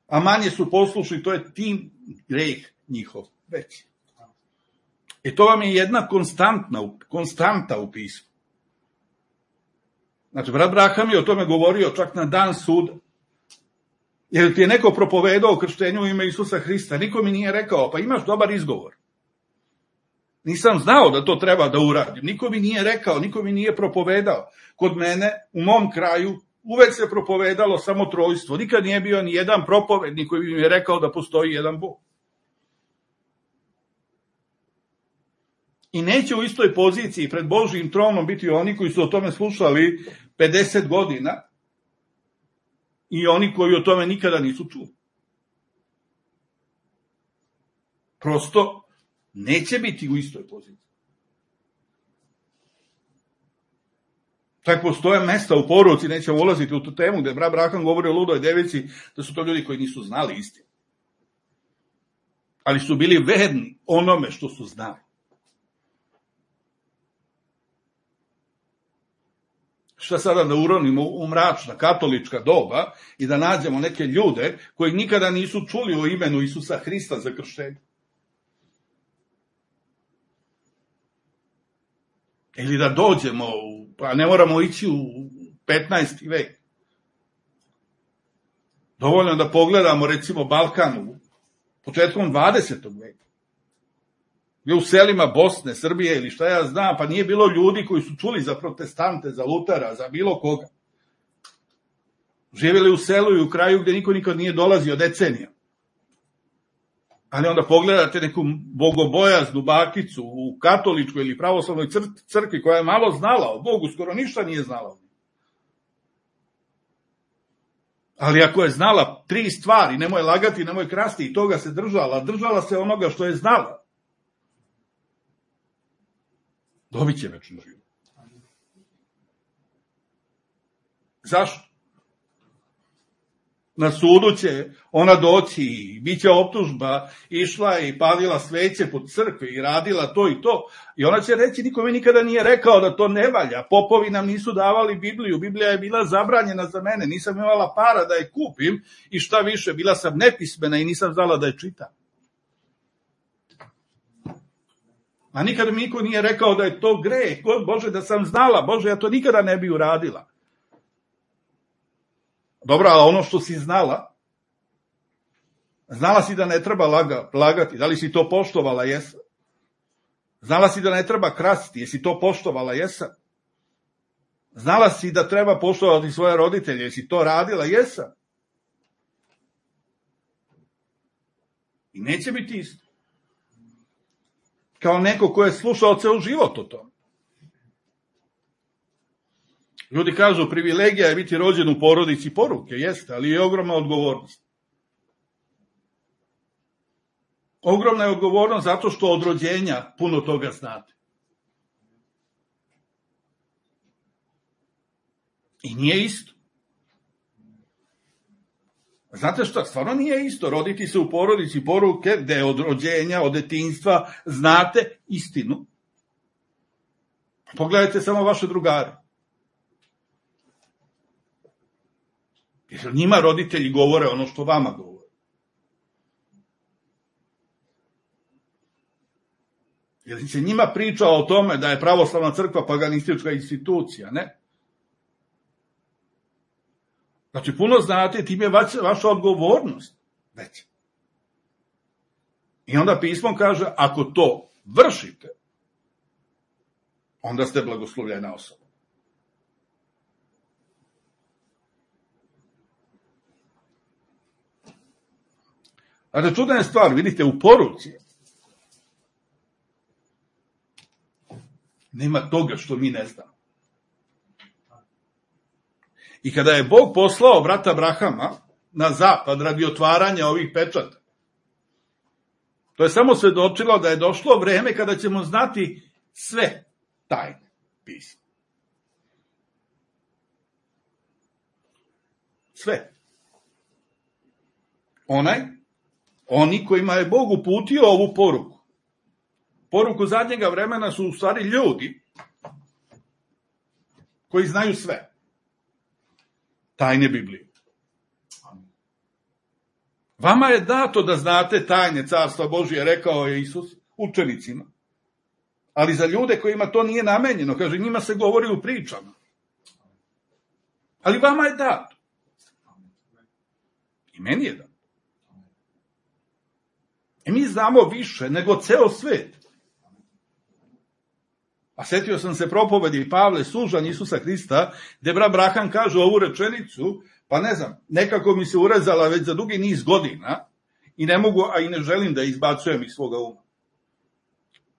a manje su poslušni, to je tim greh njihov veći. I to vam je jedna konstanta u pismu. Znači, brat Braham je o tome govorio čak na dan suda. Jer ti je neko propovedao krštenju u ime Isusa Hrista, niko mi nije rekao, pa imaš dobar izgovor. Nisam znao da to treba da uradim, niko mi nije rekao, niko mi nije propovedao. Kod mene, u mom kraju, uvek se propovedalo samo trojstvo, nikad nije bio ni jedan propovednik koji bi mi je rekao da postoji jedan Bog. I neće u istoj poziciji pred Božjim tronom biti oni koji su o tome slušali 50 godina i oni koji o tome nikada nisu čuli. Prosto neće biti u istoj poziciji. Tako postoje mesta u poruci, nećemo ulaziti u tu temu, gde brat Braham govori o ludoj devici, da su to ljudi koji nisu znali istinu. Ali su bili verni onome što su znali. Šta sada da uronimo u mračna katolička doba i da nađemo neke ljude koji nikada nisu čuli o imenu Isusa Hrista za krštenje? Ili da dođemo, pa ne moramo ići u 15. vek. Dovoljno da pogledamo recimo Balkanu početkom 20. veka. U selima Bosne, Srbije ili šta ja znam, pa nije bilo ljudi koji su čuli za protestante, za Lutera, za bilo koga. Živjeli u selu i u kraju gde niko nikad nije dolazio decenija. Ali onda pogledate neku bogobojaznu bakicu u katoličkoj ili pravoslavnoj crkvi koja je malo znala o Bogu, skoro ništa nije znala. Ali ako je znala 3 stvari, nemoj lagati, nemoj krasti, i toga se držala se onoga što je znala, dobit će večni život. Zašto? Na sudu će ona doći i bit će optužba, išla i palila sveće po crkvi i radila to i to. I ona će reći, niko mi nikada nije rekao da to ne valja. Popovi nam nisu davali Bibliju. Biblija je bila zabranjena za mene. Nisam imala para da je kupim i šta više, bila sam nepismena i nisam znala da je čitam. A nikada mi niko nije rekao da je to greh. Bože, da sam znala. Bože, ja to nikada ne bi uradila. Dobro, ali ono što si znala si da ne treba lagati. Da li si to poštovala? Jesam. Znala si da ne treba krasti. Jesi to poštovala? Jesam. Znala si da treba poštovati svoje roditelje. Jesi to radila? Jesam. I neće biti isto. Kao neko ko je slušao ceo život o tome. Ljudi kažu, privilegija je biti rođen u porodici poruke, jeste, ali je ogromna odgovornost. Ogromna je odgovornost zato što od rođenja puno toga znate. I nije isto. Znate šta, stvarno nije isto roditi se u porodici poruke gde od rođenja, od detinjstva znate istinu. Pogledajte samo vaše drugare. Jer njima roditelji govore ono što vama govore. Jer se njima priča o tome da je pravoslavna crkva paganistička institucija, ne? Znači, puno znate, tim je vaša odgovornost već. I onda pismo kaže, ako to vršite, onda ste blagoslovljena osoba. Znači, čudna je stvar, vidite, u poruci nema toga što mi ne znamo. I kada je Bog poslao brata Abrahama na zapad radi otvaranja ovih pečata, to je samo svedočilo da je došlo vreme kada ćemo znati sve tajne pisma. Sve. Oni kojima je Bog uputio ovu poruku. Poruku zadnjega vremena su u stvari ljudi koji znaju sve. Tajne Biblije. Vama je dato da znate tajne Carstva Božije, rekao je Isus učenicima. Ali za ljude kojima to nije namenjeno, kaže, njima se govori u pričama. Ali vama je dato. I meni je dato. I mi znamo više nego ceo svet. A setio sam se propovedi Pavle, sužanj Isusa Hrista, gde brat Braham kaže ovu rečenicu, pa ne znam, nekako mi se urezala već za dugi niz godina i ne mogu, a i ne želim da izbacujem iz svoga uma.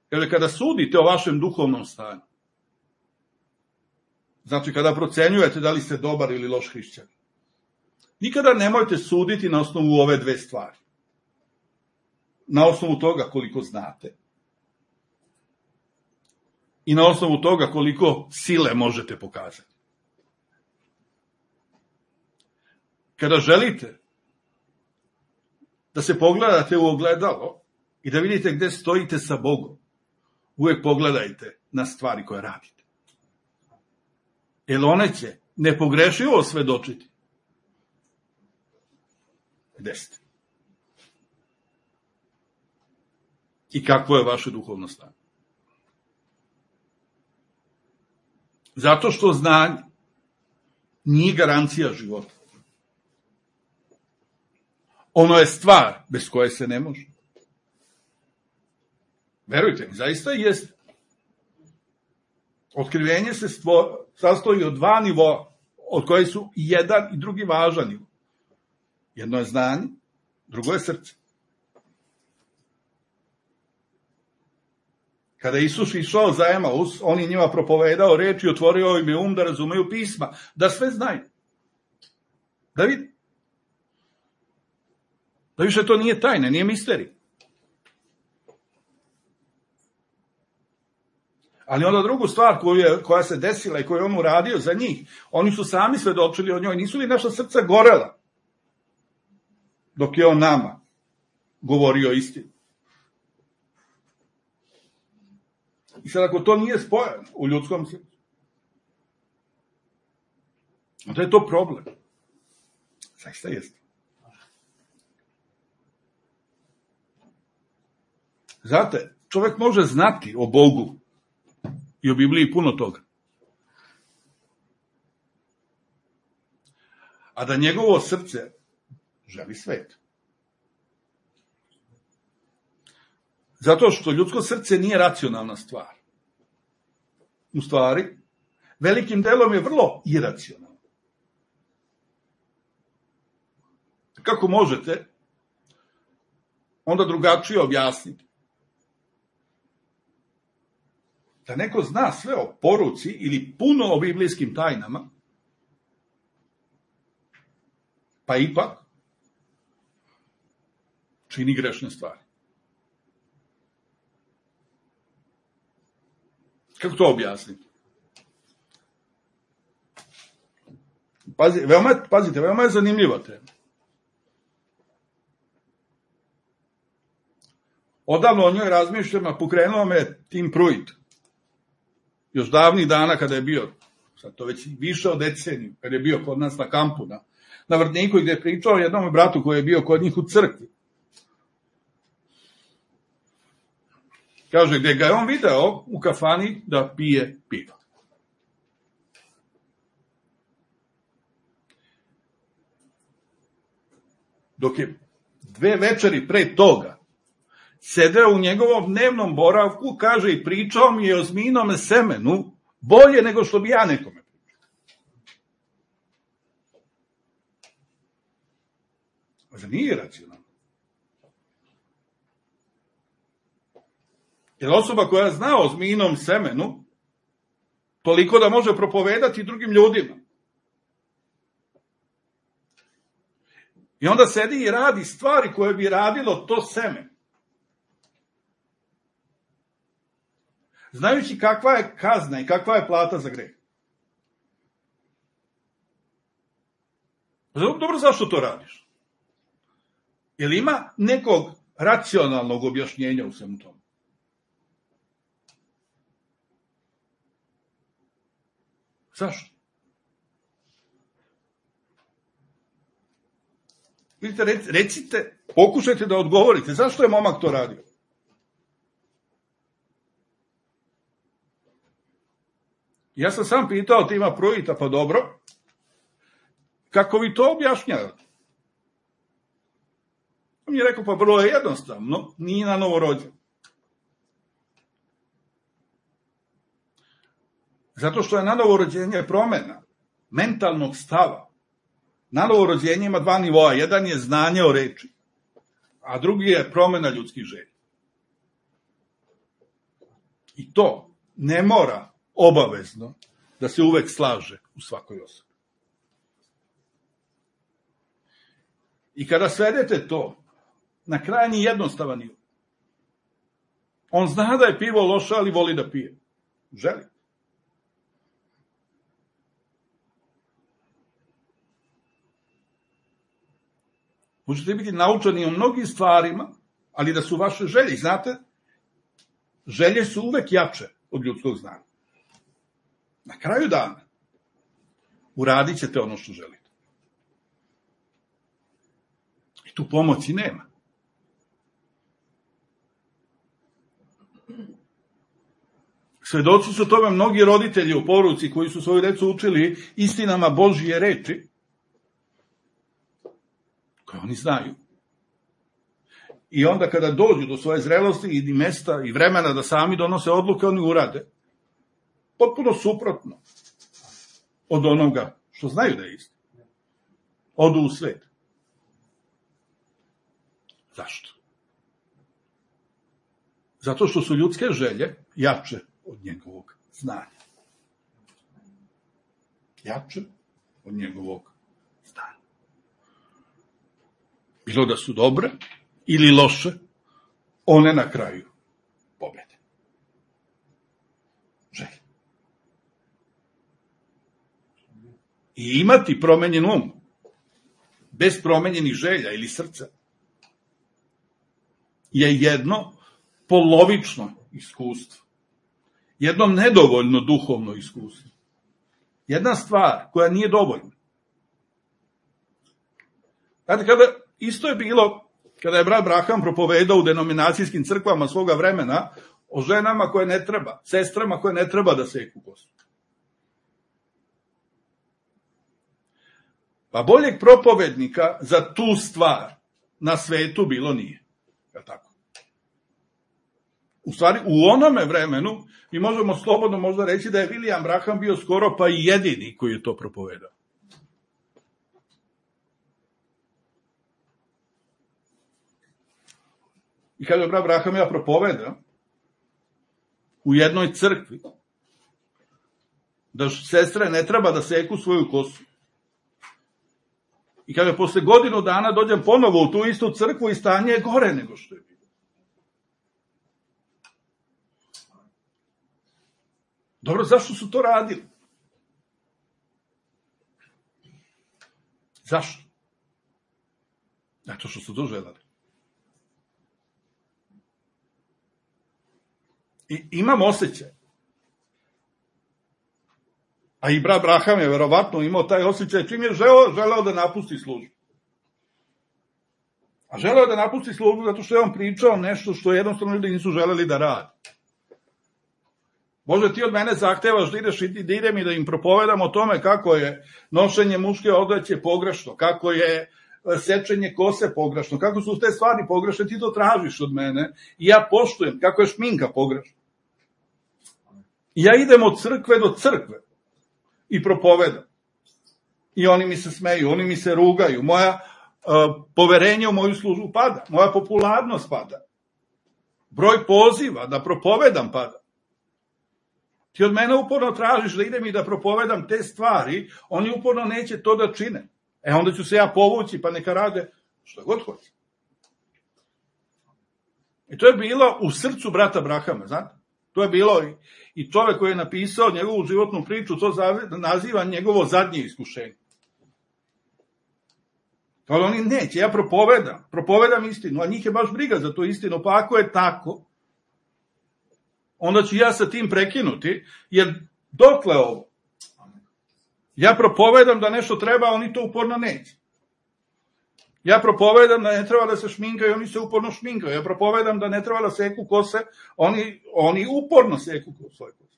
Kaže, kada sudite o vašem duhovnom stanju, znači kada procenjujete da li ste dobar ili loš hrišćanin, nikada nemojte suditi na osnovu ove dve stvari. Na osnovu toga koliko znate i na osnovu toga koliko sile možete pokazati. Kada želite da se pogledate u ogledalo i da vidite gde stojite sa Bogom, uvek pogledajte na stvari koje radite. Jer one će nepogrešivo svedočiti gde ste. I kakvo je vaše duhovno stanje. Zato što znanje nije garancija života. Ono je stvar bez koje se ne može. Verujte mi, zaista jeste. Otkrivenje se sastoji od dva nivoa, od koje su i jedan i drugi važan nivo. Jedno je znanje, drugo je srce. Kada je Isus išao za Emaus, on je njima propovedao reč i otvorio im je um da razumeju pisma, da sve znaju. Da vidi. Da više to nije tajne, nije misterij. Ali onda drugu stvar koja se desila i koju je on uradio za njih, oni su sami svedočili o njoj, nisu li naša srca gorela dok je on nama govorio istinu. I sad ako to nije spojeno u ljudskom srcu, onda je to problem. Zaista jeste. Znate, čovek može znati o Bogu i o Bibliji puno toga. A da njegovo srce želi svet. Zato što ljudsko srce nije racionalna stvar. U stvari, velikim delom je vrlo iracionalno. Kako možete onda drugačije objasniti? Da neko zna sve o poruci ili puno o biblijskim tajnama, pa ipak čini grešne stvari. Kako to objasniti? Pazite, veoma je zanimljiva tema. Odavno o njoj razmišljam, a pokrenuo me Tim Pruitt. Još davnih dana kada je bio, sad to već više od deceniju, kada je bio kod nas na kampu, na Vrtniku, gde je pričao jednom bratu koji je bio kod njih u crkvi. Kaže, gde ga je on video u kafani da pije pivo. Dok je 2 večeri pre toga sedeo u njegovom dnevnom boravku, kaže, i pričao mi je o zmijinom semenu bolje nego što bi ja nekome pričao. Zar nije racionalno? Jer osoba koja zna o zmijinom semenu toliko da može propovedati drugim ljudima. I onda sedi i radi stvari koje bi radilo to seme. Znajući kakva je kazna i kakva je plata za greh. Dobro, zašto to radiš? Jel ima nekog racionalnog objašnjenja u svemu tomu? Zašto? Vidite, recite, pokušajte da odgovorite. Zašto je momak to radio? Ja sam sam pitao Tima Pruitta, pa dobro, kako vi to objašnjavate? On mi je rekao, pa vrlo je jednostavno, nije na novorođen. Zato što je na novorođenje promena mentalnog stava. Na novorođenje ima 2 nivoa. Jedan je znanje o reči, a drugi je promena ljudskih želja. I to ne mora obavezno da se uvek slaže u svakoj osobi. I kada svedete to na krajnji jednostavan nivo, on zna da je pivo loše, ali voli da pije. Želi. Možete biti naučeni o mnogim stvarima, ali da su vaše želje. Znate, želje su uvek jače od ljudskog znanja. Na kraju dana uradit ćete ono što želite. I tu pomoći nema. Svedoci su tome mnogi roditelji u poruci koji su svoju decu učili istinama Božije reči, koje oni znaju. I onda kada dođu do svoje zrelosti i mesta i vremena da sami donose odluke, oni urade potpuno suprotno od onoga što znaju da je isto. Odu u svet. Zašto? Zato što su ljudske želje jače od njegovog znanja. Jače od njegovog znanja. Bilo da su dobre ili loše, one na kraju pobede. Želje. I imati promenjen um, bez promenjenih želja ili srca, je jedno polovično iskustvo. Jedno nedovoljno duhovno iskustvo. Jedna stvar koja nije dovoljna. Znate, isto je bilo kada je brat Braham propovedao u denominacijskim crkvama svoga vremena o ženama koje ne treba, sestrama koje ne treba da seku kosu. Pa boljeg propovednika za tu stvar na svetu bilo nije. Je tako? U stvari, u onome vremenu mi možemo slobodno možda reći da je William Branham bio skoro pa i jedini koji je to propovedao. I kada je brat Branham ja propoveda u jednoj crkvi da sestre ne treba da seku svoju kosu. I kada posle godinu dana dođem ponovo u tu istu crkvu i stanje je gore nego što je bilo. Dobro, zašto su to radili? Zašto? Zato što su to želeli. I imam osjećaj. A i brat Braham je verovatno imao taj osjećaj čim je želeo da napusti službu. A želeo da napusti službu zato što je on pričao nešto što jednostavno ljudi nisu želeli da radi. Bože, ti od mene zahtevaš da ideš i da idem i da im propovedam o tome kako je nošenje muške odeće pogrešno, kako je sečenje kose pogrešno, kako su te stvari pogrešne, ti to tražiš od mene i ja poštujem kako je šminka pogrešna. I ja idem od crkve do crkve i propovedam. I oni mi se smeju, oni mi se rugaju, moja poverenje u moju službu pada, moja popularnost pada, broj poziva da propovedam pada. Ti od mene uporno tražiš da idem i da propovedam te stvari, oni uporno neće to da čine. Onda ću se ja povući, pa neka rade što god hoće. I to je bilo u srcu brata Brahama, znate? To je bilo i čovek koji je napisao njegovu životnu priču, to naziva njegovo zadnje iskušenje. Ali oni neće, ja propovedam istinu, a njih je baš briga za tu istinu, pa ako je tako, onda ću ja sa tim prekinuti, jer dokle ovo? Ja propovedam da nešto treba, a oni to uporno neće. Ja propovedam da ne treba da se šminkaju, oni se uporno šminkaju. Ja propovedam da ne treba da seku kose, oni uporno seku svoje kose.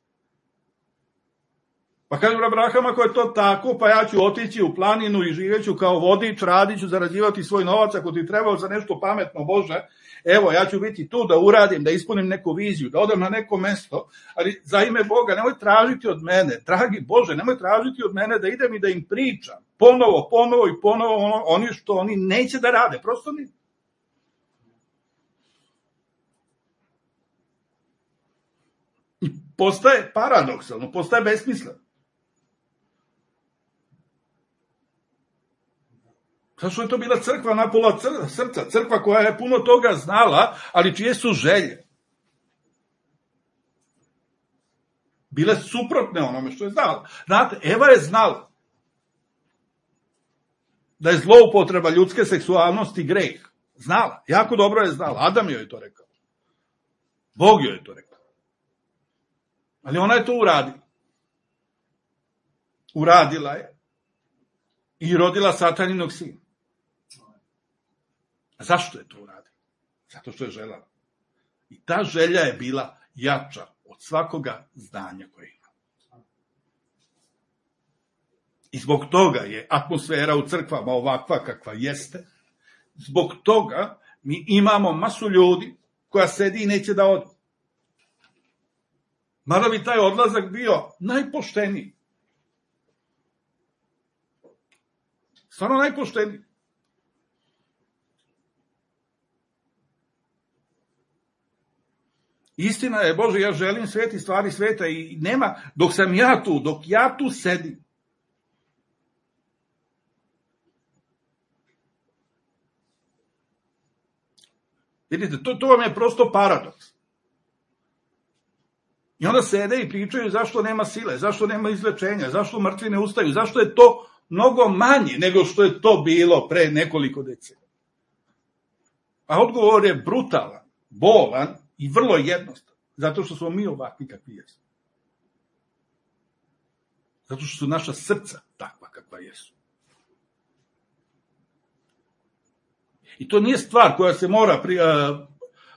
Pa kažu Abraham, ako je to tako, pa ja ću otići u planinu i živeću kao vodič, radit ću, zarađivati svoj novac, ako ti treba za nešto pametno, Bože, evo, ja ću biti tu da uradim, da ispunim neku viziju, da odem na neko mesto, ali za ime Boga nemoj tražiti od mene, dragi Bože, nemoj tražiti od mene da idem i da im pričam, ponovo i ponovo, oni što oni neće da rade, prosto ni. I postaje paradoksalno, postaje besmisleno. Zašto je to bila crkva napola srca, crkva koja je puno toga znala, ali čije su želje bile suprotne onome što je znala. Znate, Eva je znala da je zloupotreba ljudske seksualnosti greh. Znala, jako dobro je znala. Adam joj je to rekao. Bog joj je to rekao. Ali ona je to uradila. Uradila je i rodila sataninog sina. A zašto je to uradila? Zato što je želela. I ta želja je bila jača od svakoga znanja koje ima. I zbog toga je atmosfera u crkvama ovakva kakva jeste. Zbog toga mi imamo masu ljudi koja sedi i neće da ode. Mada bi taj odlazak bio najpošteniji. Stvarno najpošteniji. Istina je, Bože, ja želim sveti stvari sveta i nema, dok sam ja tu, dok ja tu sedim. Vidite, to vam je prosto paradoks. I onda sede i pričaju zašto nema sile, zašto nema izlečenja, zašto mrtvi ne ustaju, zašto je to mnogo manje nego što je to bilo pre nekoliko decenija. A odgovor je brutalan, bolan i vrlo jednostavan, zato što smo mi ovakvi kakvi jesmo. Zato što su naša srca takva kakva jesu. I to nije stvar koja se mora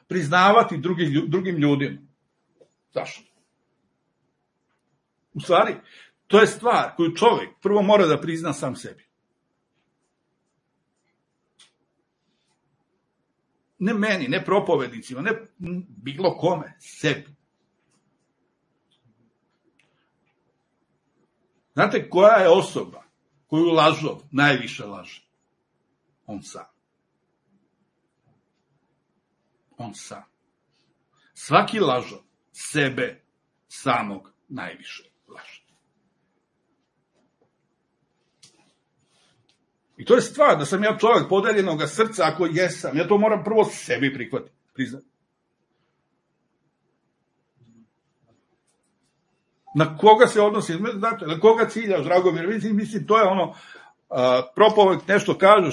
priznavati drugim ljudima. Zašto? U stvari, to je stvar koju čovjek prvo mora da prizna sam sebi. Ne meni, ne propovednicima, ne bilo kome, sebi. Znate koja je osoba koju lažov najviše laže? On sam. On sam. Svaki lažov sebe samog najviše laže. I to je stvar da sam ja čovjek podeljenog srca, ako jesam, ja to moram prvo sebi prihvatiti, priznati. Na koga se odnosi, znate, na koga ciljaš, Dragomir, mislim, to je ono, propovednik nešto kaže,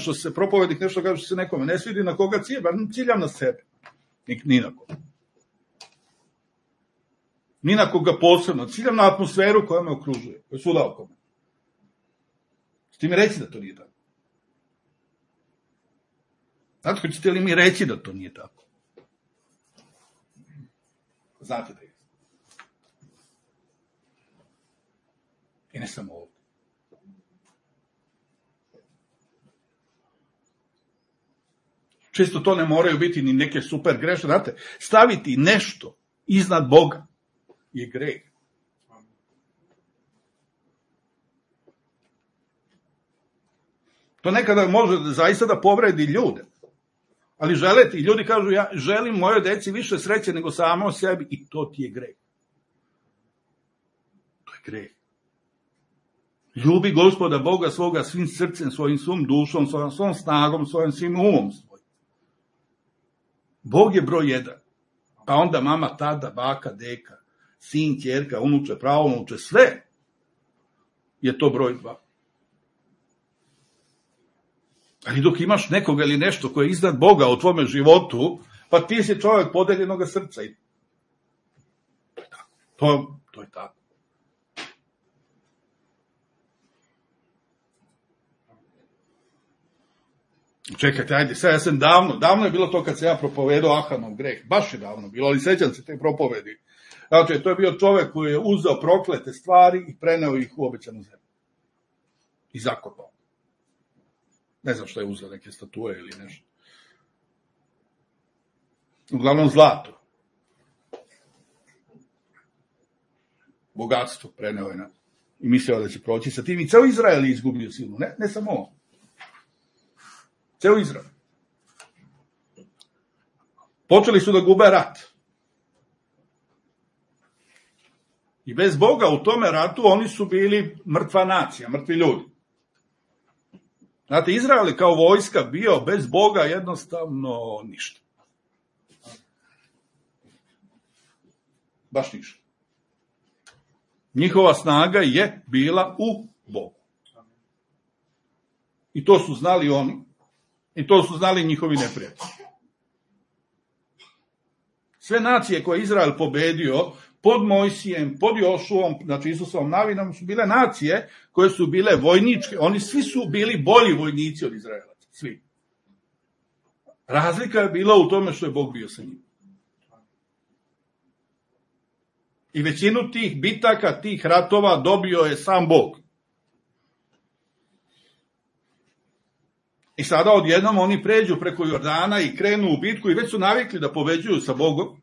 što se nekome ne svidi, na koga ciljam na sebe, ni na koga. ni na koga posebno, ciljam na atmosferu koja me okružuje, koja je svuda oko me. Ćete mi reći da to nije tako? Znate, hoćete li mi reći da to nije tako? Znate da je. I ne samo ovdje. Često to ne moraju biti ni neke super greške. Znate, staviti nešto iznad Boga je greh. To nekada može zaista da povredi ljude. Ali žele ti, ljudi kažu, ja želim mojoj deci više sreće nego samo sebi, i to ti je greh. To je greh. Ljubi Gospoda Boga svoga svim srcem, svojim svom dušom, svom snagom, svojim svim umom svojim. Bog je broj 1. Pa onda mama, tada, baka, deka, sin, ćerka, unuče, praunuče, sve je to broj 2. Ali dok imaš nekoga ili nešto koje je iznad Boga u tvome životu, pa ti si čovjek podeljenog srca. I to je tako. To je tako. Čekajte, ajde, sad ja sam davno je bilo to kad se ja propovedao Ahanov greh, baš je davno bilo, ali sećam se te propovedi. Znači, to je bio čovjek koji je uzeo proklete stvari i preneo ih u obećanu zemlju. I zakopao. Ne znam što je uzeo, neke statue ili nešto. Uglavnom zlato. Bogatstvo preneo je i mislio da će proći sa tim. I ceo Izrael je izgubio silu, ne samo on. Ceo Izrael. Počeli su da gube rat. I bez Boga u tome ratu oni su bili mrtva nacija, mrtvi ljudi. Znate, Izrael je kao vojska bio bez Boga jednostavno ništa. Baš ništa. Njihova snaga je bila u Bogu. I to su znali oni. I to su znali njihovi neprijatelji. Sve nacije koje je Izrael pobedio pod Mojsijem, pod Jošuom, znači Isusovom navinom, su bile nacije koje su bile vojničke. Oni svi su bili bolji vojnici od Izraelaca. Svi. Razlika je bila u tome što je Bog bio sa njim. I većinu tih bitaka, tih ratova dobio je sam Bog. I sada odjednom oni pređu preko Jordana i krenu u bitku i već su navikli da pobeđuju sa Bogom.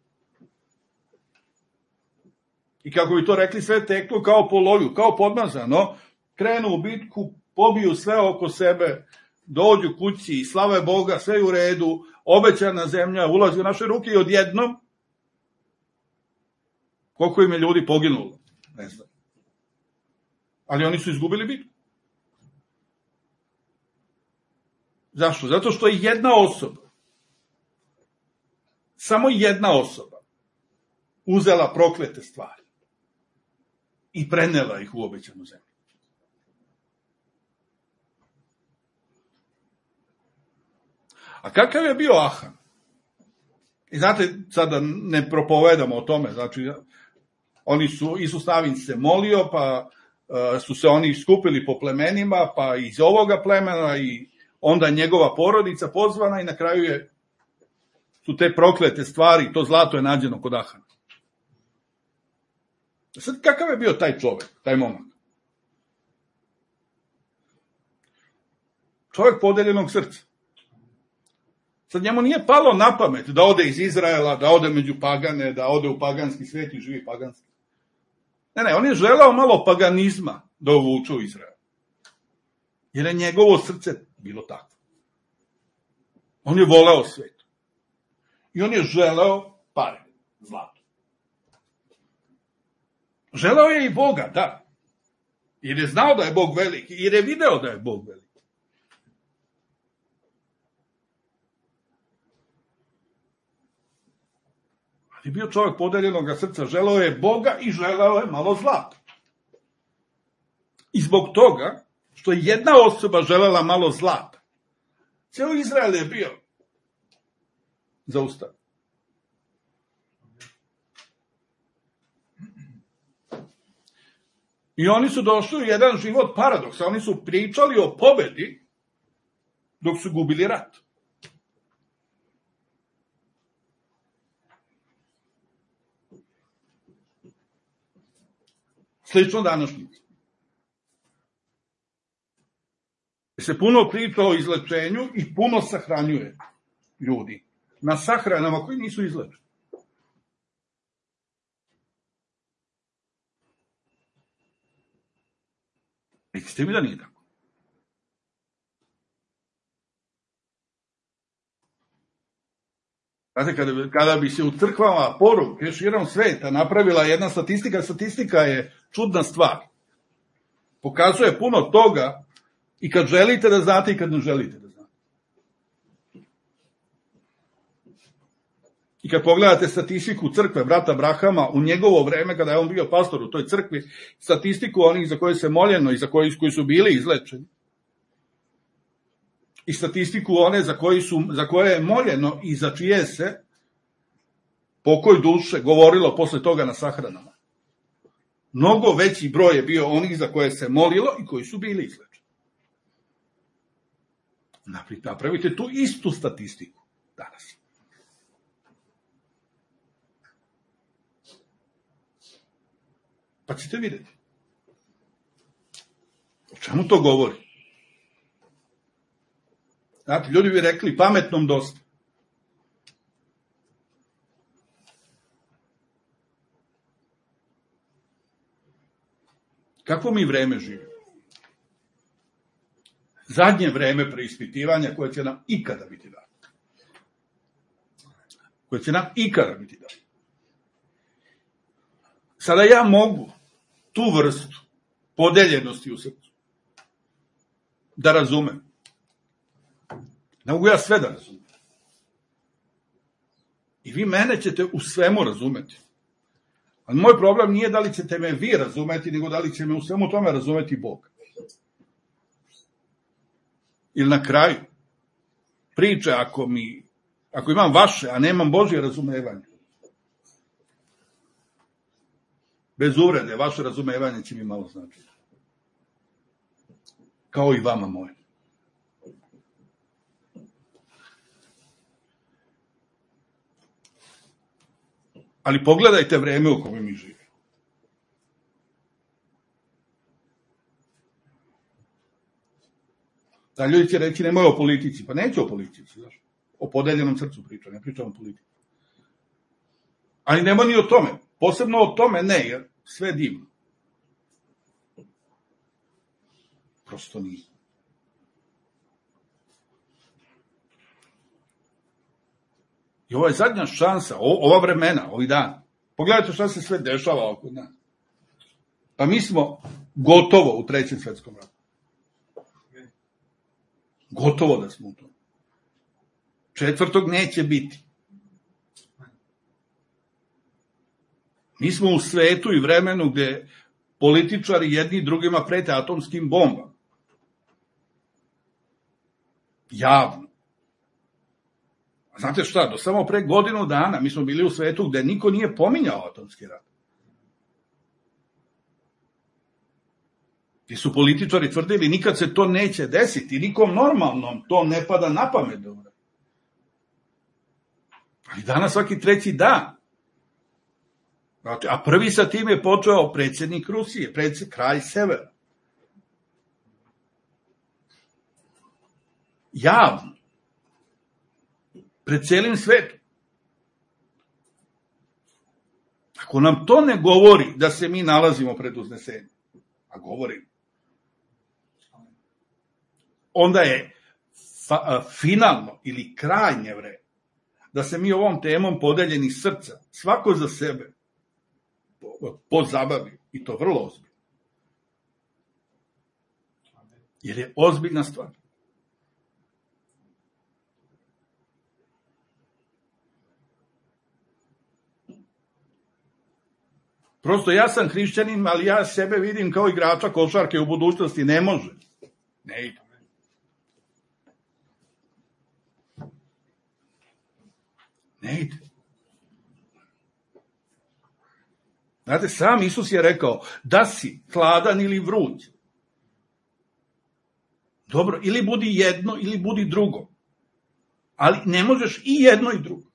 I kako bi to rekli, sve teklo kao po loju, kao podmazano, krenu u bitku, pobiju sve oko sebe, dođu kući i slave Boga, sve je u redu, obećana zemlja ulazi u naše ruke i odjednom, koliko im je ljudi poginulo, ne znam. Ali oni su izgubili bitku. Zašto? Zato što je jedna osoba, samo jedna osoba, uzela proklete stvari i prenela ih u obećanu zemlju. A kakav je bio Ahan? I znate, sada ne propovedamo o tome, znači, Isus Navin se molio, pa su se oni skupili po plemenima, pa iz ovoga plemena i onda njegova porodica pozvana i na kraju su te proklete stvari, to zlato je nađeno kod Ahana. Sad, kakav je bio taj čovjek, taj momak? Čovjek podeljenog srca. Sad njemu nije palo na pamet da ode iz Izraela, da ode među pagane, da ode u paganski svijet i živi paganski. Ne, on je želeo malo paganizma da uvuče u Izrael. Jer je njegovo srce bilo tako. On je voleo svet. I on je želeo pare, zlato. Želeo je i Boga, da. Jer je znao da je Bog veliki, jer je video da je Bog veliki. Ali bio čovjek podeljenog srca, želeo je Boga i želeo je malo zlata. I zbog toga, što je jedna osoba želela malo zlata, cijelo Izrael je bio zaustavljen. I oni su došli u jedan život paradoksa. Oni su pričali o pobedi dok su gubili rat. Slično današnjice. Se puno priča o izlečenju i puno sahranjuje ljudi na sahranama koji nisu izlečeni. Recite mi da nije tako. Znate, kada bi se u crkvama poruke širom sveta napravila jedna statistika je čudna stvar. Pokazuje puno toga i kad želite da znate i kad ne želite da znate. I kad pogledate statistiku crkve brata Brahama u njegovo vreme, kada je on bio pastor u toj crkvi, statistiku onih za koje se moljeno i koji su bili izlečeni, i statistiku one za koje je moljeno i za čije se pokoj duše govorilo posle toga na sahranama. Mnogo veći broj je bio onih za koje se molilo i koji su bili izlečeni. Napravite tu istu statistiku danas. Pa ćete vidjeti. O čemu to govori? Znate, ljudi bi rekli pametnom dosta. Kakvo mi vreme živimo? Zadnje vreme preispitivanja koje će nam ikada biti dato. Koje će nam ikada biti dato. Sada ja mogu tu vrstu podeljenosti u srcu da razumem. Ne mogu ja sve da razumem. I vi mene ćete u svemu razumeti. Ali moj problem nije da li ćete me vi razumeti, nego da li će me u svemu tome razumeti Bog. Ili na kraju priče, ako imam vaše, a nemam Božje razumevanje, bez uvrede, vaše razumevanje će mi malo značiti. Kao i vama moje. Ali pogledajte vreme u kojem mi živimo. Da, ljudi će reći nemoj o politici. Pa neću o politici, znaš. O podeljenom srcu pričam, ne pričam o politici. Ali nema ni o tome. Posebno o tome ne, jer sve je divno. Prosto nije. I ovo je zadnja šansa, ova vremena, ovi dan. Pogledajte šta se sve dešava oko nas. Pa mi smo gotovo u Trećem svetskom ratu. Gotovo da smo u tom. Četvrtog neće biti. Mi smo u svetu i vremenu gde političari jedni drugima prete atomskim bombama. Javno. Znate šta, do samo pre godinu dana mi smo bili u svetu gde niko nije pominjao atomski rat. Gde su političari tvrdili nikad se to neće desiti, nikom normalnom to ne pada na pamet. Ali danas svaki treći dan. A prvi sa tim je počeo predsjednik Rusije, kralj Severa. Javno. Pred celim svetom. Ako nam to ne govori da se mi nalazimo pred uznesenjem, a govorimo, onda je finalno ili krajnje vreme da se mi ovom temom podeljenih srca, svako za sebe, pozabavi, i to vrlo ozbiljno. Jer je ozbiljna stvar. Prosto ja sam hrišćanin, ali ja sebe vidim kao igrača košarke u budućnosti. Ne može. Ne ide. Ne ide. Znate, sam Isus je rekao da si hladan ili vruć. Dobro, ili budi jedno ili budi drugo. Ali ne možeš i jedno i drugo.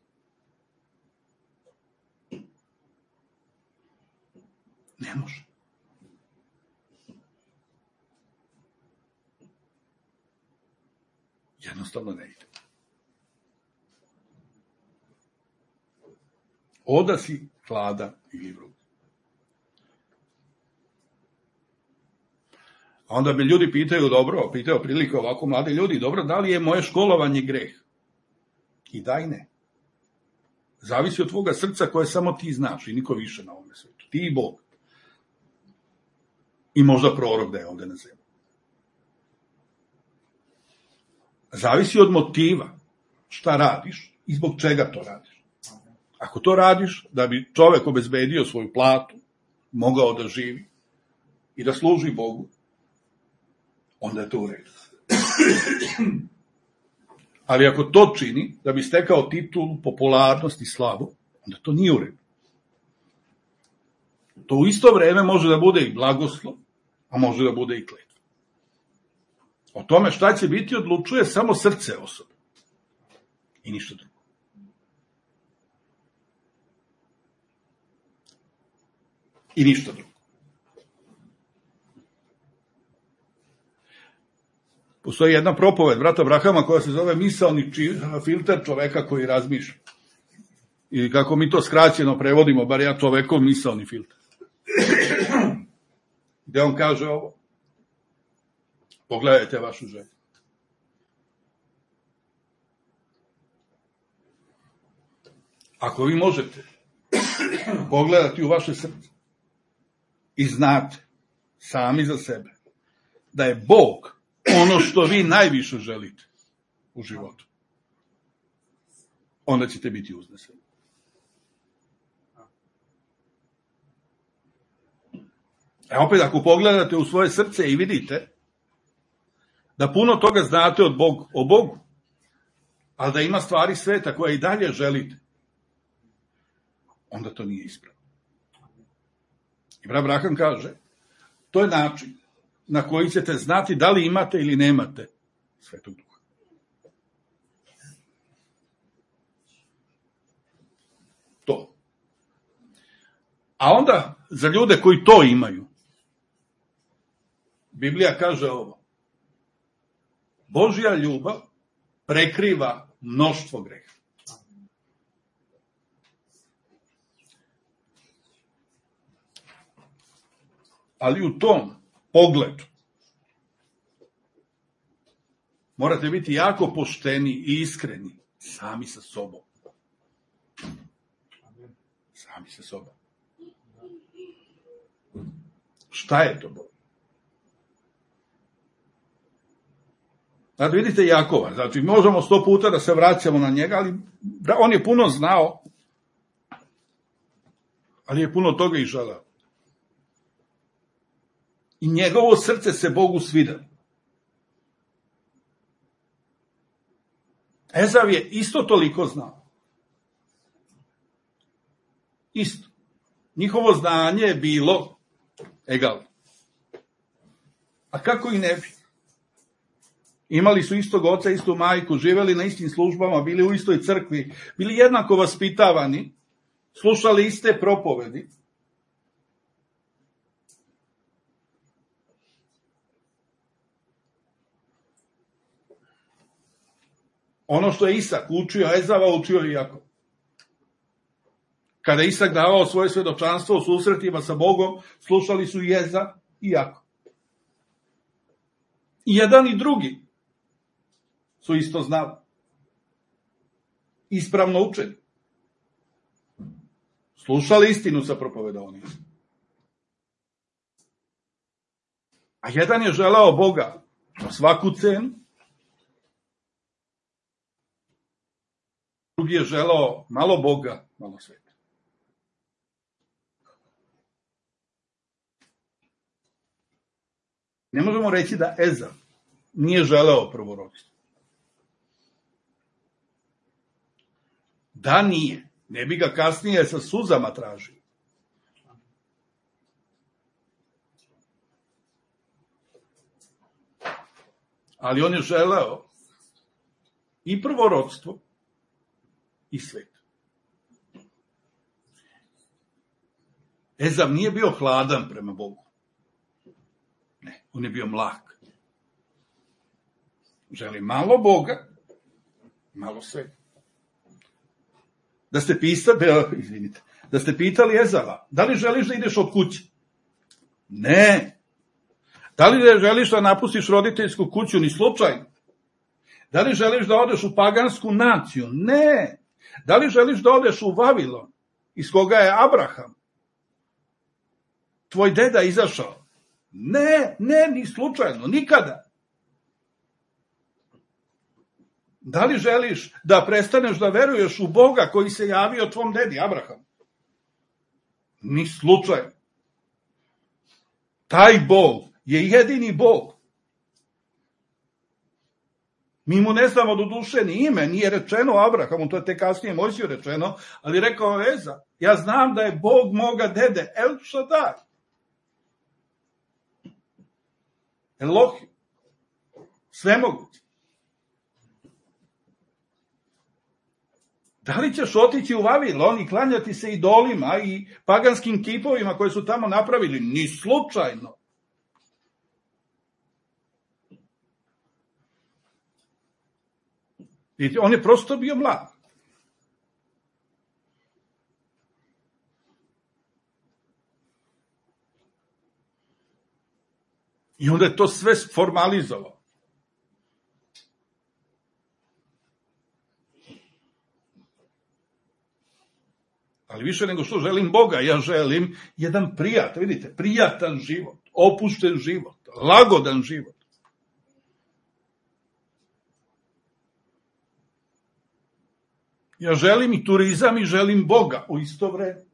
Ne može. Jednostavno ne ide. Oda si hladan ili vruć. A onda me ljudi pitaju, dobro, pitaju prilike ovako mladi ljudi, dobro, da li je moje školovanje greh? I da i ne. Zavisi od tvoga srca koje samo ti znaš i niko više na ovome svetu. Ti i Bog. I možda prorok da je ovde na zemlji. Zavisi od motiva šta radiš i zbog čega to radiš. Ako to radiš da bi čovek obezbedio svoju platu, mogao da živi i da služi Bogu, onda je to u redu. Ali ako to čini da bi stekao titulu, popularnost i slavu, onda to nije u redu. To u isto vreme može da bude i blagoslov, a može da bude i kletva. O tome šta će biti odlučuje samo srce osobe. I ništa drugo. I ništa drugo. Postoji jedna propoved brata Abrahama koja se zove misaoni filter čoveka koji razmišlja. I kako mi to skraćeno prevodimo, bar ja čovekov misaoni filter. Gde on kaže ovo? Pogledajte vašu želju. Ako vi možete pogledati u vaše srce i znate sami za sebe da je Bog ono što vi najviše želite u životu, onda ćete biti uzneseni. Opet, ako pogledate u svoje srce i vidite da puno toga znate o Bogu, ali da ima stvari sveta koje i dalje želite, onda to nije ispravno. I brat Abraham kaže, to je način na koji ćete znati da li imate ili nemate Svetog Duha. To. A onda, za ljude koji to imaju, Biblija kaže ovo. Božja ljubav prekriva mnoštvo greha. Ali u tom pogledu morate biti jako pošteni i iskreni sami sa sobom. Sami sa sobom. Šta je to Bog? Znači, vidite Jakova, znači možemo 100 puta da se vraćamo na njega, ali on je puno znao, ali je puno toga i želeo. I njegovo srce se Bogu svida. Ezav je isto toliko znao. Isto. Njihovo znanje je bilo egal. A kako i ne bi? Imali su istog oca, istu majku, živeli na istim službama, bili u istoj crkvi, bili jednako vaspitavani, slušali iste propovedi. Ono što je Isak učio Ezava, učio i Jakov. Kada je Isak davao svoje svedočanstvo u susretima sa Bogom, slušali su i Ezav i Jakov. I jedan i drugi su isto znali. Ispravno učeni. Slušali istinu sa propovedovanjem. A jedan je želao Boga po svaku cenu, drugi je želao malo Boga, malo sveta. Ne možemo reći da Ezav nije želeo prvorодstvo. Da nije, ne bi ga kasnije sa suzama tražio. Ali on je želeo i prvorodstvo i svet. Ezav nije bio hladan prema Bogu. Ne, on je bio mlak. Želi malo Boga, malo sveta. Da ste pitali Ezava, da li želiš da ideš od kuće? Ne. Da li želiš da napustiš roditeljsku kuću? Ni slučajno. Da li želiš da odeš u pagansku naciju? Ne. Da li želiš da odeš u Vavilon, iz koga je Abraham, tvoj deda, izašao? Ne, ni slučajno, nikada. Da li želiš da prestaneš da veruješ u Boga koji se javio tvom dedi Abraham? Ni slučajno. Taj Bog je jedini Bog. Mi mu ne znamo do duše ni ime, nije rečeno Abrahamu, to je te kasnije Mojsiju rečeno, ali rekao Ezav, ja znam da je Bog moga dede, El Šadaj. Elohim. Svemogući. Da li ćeš otići u Vavilon i klanjati se idolima i paganskim kipovima koje su tamo napravili? Ni slučajno. Vidite, on je prosto bio mlad. I onda je to sve formalizovao. Ali više nego što želim Boga, ja želim jedan prijatan život, opušten život, lagodan život. Ja želim i turizam i želim Boga u isto vreme.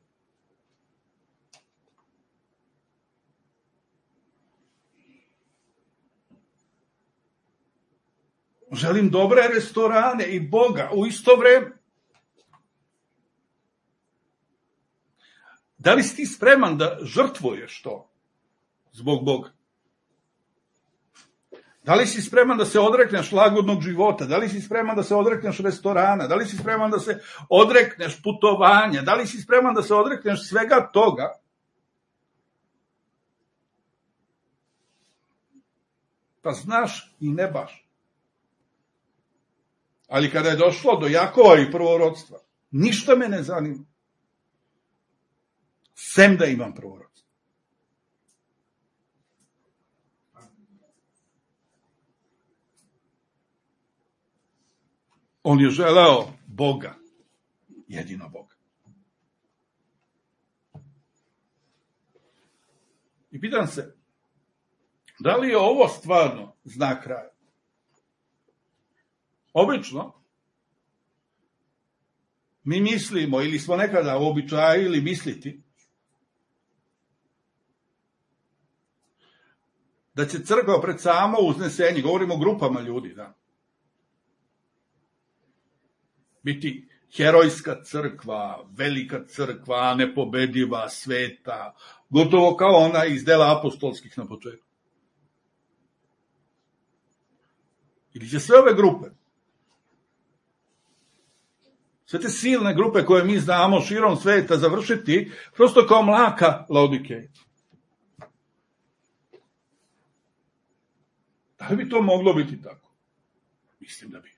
Želim dobre restorane i Boga u isto vreme. Da li si ti spreman da žrtvuješ to zbog Boga? Da li si spreman da se odrekneš lagodnog života? Da li si spreman da se odrekneš restorana? Da li si spreman da se odrekneš putovanja? Da li si spreman da se odrekneš svega toga? Pa znaš i ne baš. Ali kada je došlo do Jakova i prvorodstva, ništa me ne zanima. Sem da imam prvorodstvo. On je želeo Boga, jedino Boga. I pitam se, da li je ovo stvarno znak kraja? Obično, mi mislimo, ili smo nekada uobičajili misliti, da će crkva pred samo uznesenje, govorimo o grupama ljudi, da, biti herojska crkva, velika crkva, nepobediva, sveta, gotovo kao ona iz dela apostolskih na početku. Ili će sve ove grupe, sve te silne grupe koje mi znamo širom sveta završiti prosto kao mlaka Laodikeja. Da li bi to moglo biti tako? Mislim da bi.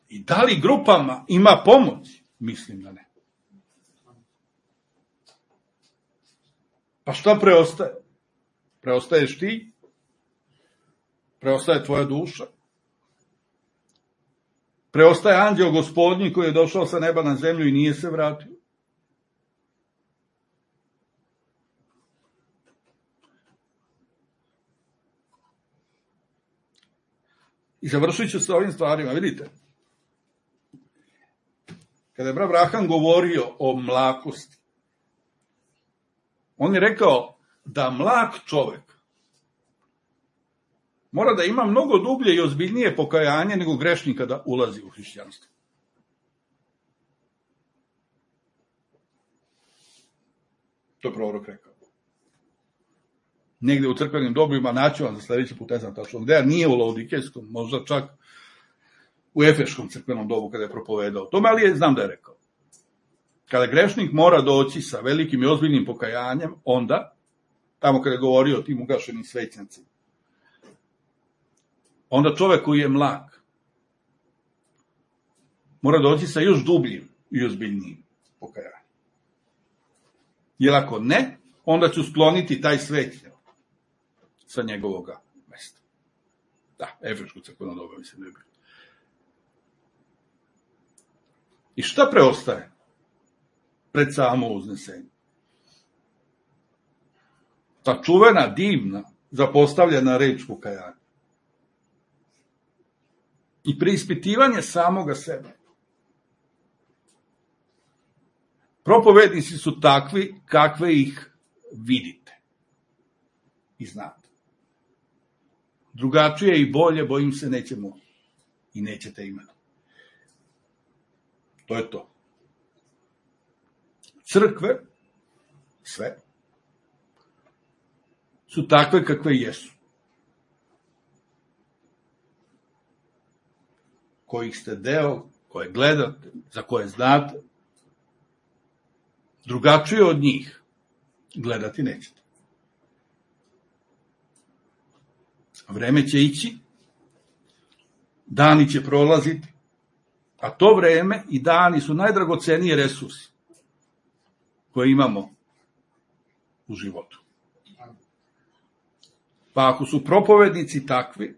I da li grupama ima pomoć? Mislim da ne. Pa šta preostaje? Preostaješ ti? Preostaje tvoja duša? Preostaje anđeo gospodnji koji je došao sa neba na zemlju i nije se vratio? I završit ću sa ovim stvarima, vidite. Kada je brat Abraham govorio o mlakosti, on je rekao da mlak čovek mora da ima mnogo dublje i ozbiljnije pokajanje nego grešnik kada ulazi u hrišćanstvo. To je prorok rekao. negde u crkvenim dobima, naću vam za sledeći put, ne znam tačno gde, nije u Laodikejskom, možda čak u Efeškom crkvenom dobu kada je propovedao tome, ali znam da je rekao. Kada grešnik mora doći sa velikim i ozbiljnim pokajanjem, onda, tamo kada je govorio o tim ugašenim svećnicima, onda čovek koji je mlak mora doći sa još dubljim i ozbiljnijim pokajanjem. Jer ako ne, onda ću skloniti taj svećnjak sa njegovoga mesta. Da, Efeško crkveno doba, mislim da je bilo. I šta preostaje pred samo uznesenje? Ta čuvena, divna, zapostavljena reč pokajanja. I preispitivanje samoga sebe. Propovednici su takvi kakve ih vidite i znate. Drugačije i bolje, bojim se, nećemo i nećete imati. To je to. Crkve, sve, su takve kakve jesu. Kojih ste deo, koje gledate, za koje znate, drugačije od njih gledati nećete. Vreme će ići, dani će prolaziti, a to vreme i dani su najdragocenije resursi koje imamo u životu. Pa ako su propovednici takvi,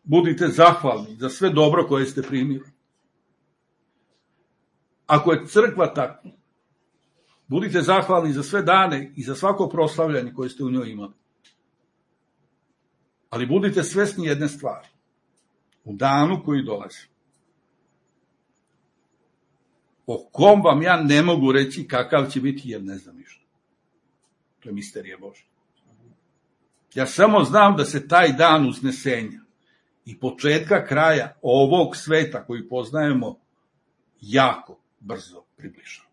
budite zahvalni za sve dobro koje ste primili. Ako je crkva takva, budite zahvalni za sve dane i za svako proslavljanje koje ste u njoj imali. Ali budite svesni jedne stvari. U danu koji dolazi, o kom vam ja ne mogu reći kakav će biti, jer ne znam ništa. To je misterija Božja. Ja samo znam da se taj dan uznesenja i početka kraja ovog sveta koji poznajemo jako brzo približava.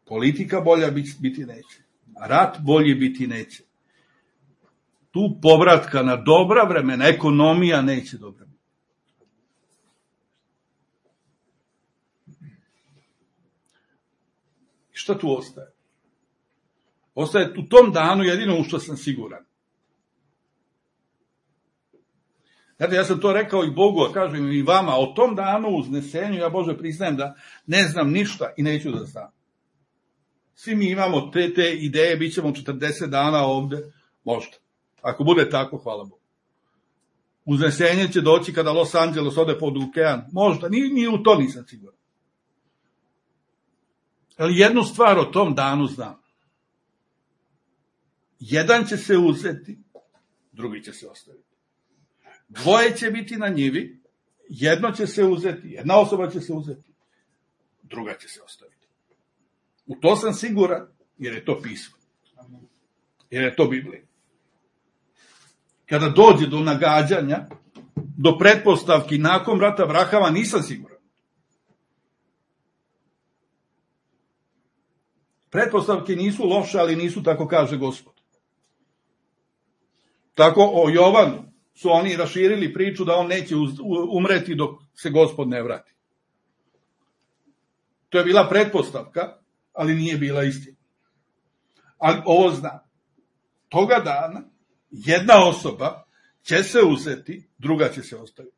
Politika bolja biti neće. Rat bolji biti neće. Tu povratka na dobra vremena, ekonomija neće dobra. I šta tu ostaje? Ostaje u tom danu jedino u što sam siguran. Znate, ja sam to rekao i Bogu, a kažem i vama, o tom danu uznesenju, ja Bože priznajem da ne znam ništa i neću da znam. Svi mi imamo te ideje, bit ćemo 40 dana ovde, možda. Ako bude tako, hvala Bogu. Uznesenje će doći kada Los Angeles ode pod okean, možda, ni u to nisam siguran. Ali jednu stvar o tom danu znam. Jedan će se uzeti, drugi će se ostaviti. Dvoje će biti na njivi, jedno će se uzeti, jedna osoba će se uzeti, druga će se ostaviti. U to sam siguran, jer je to pismo. Jer je to Biblija. Kada dođe do nagađanja, do pretpostavki nakon rata Abrahama, nisam siguran. Pretpostavke nisu loše, ali nisu, tako kaže Gospod. Tako o Jovanu su oni raširili priču da on neće umreti dok se Gospod ne vrati. To je bila pretpostavka, ali nije bila istina. Ali ovo zna. Toga dana jedna osoba će se uzeti, druga će se ostaviti.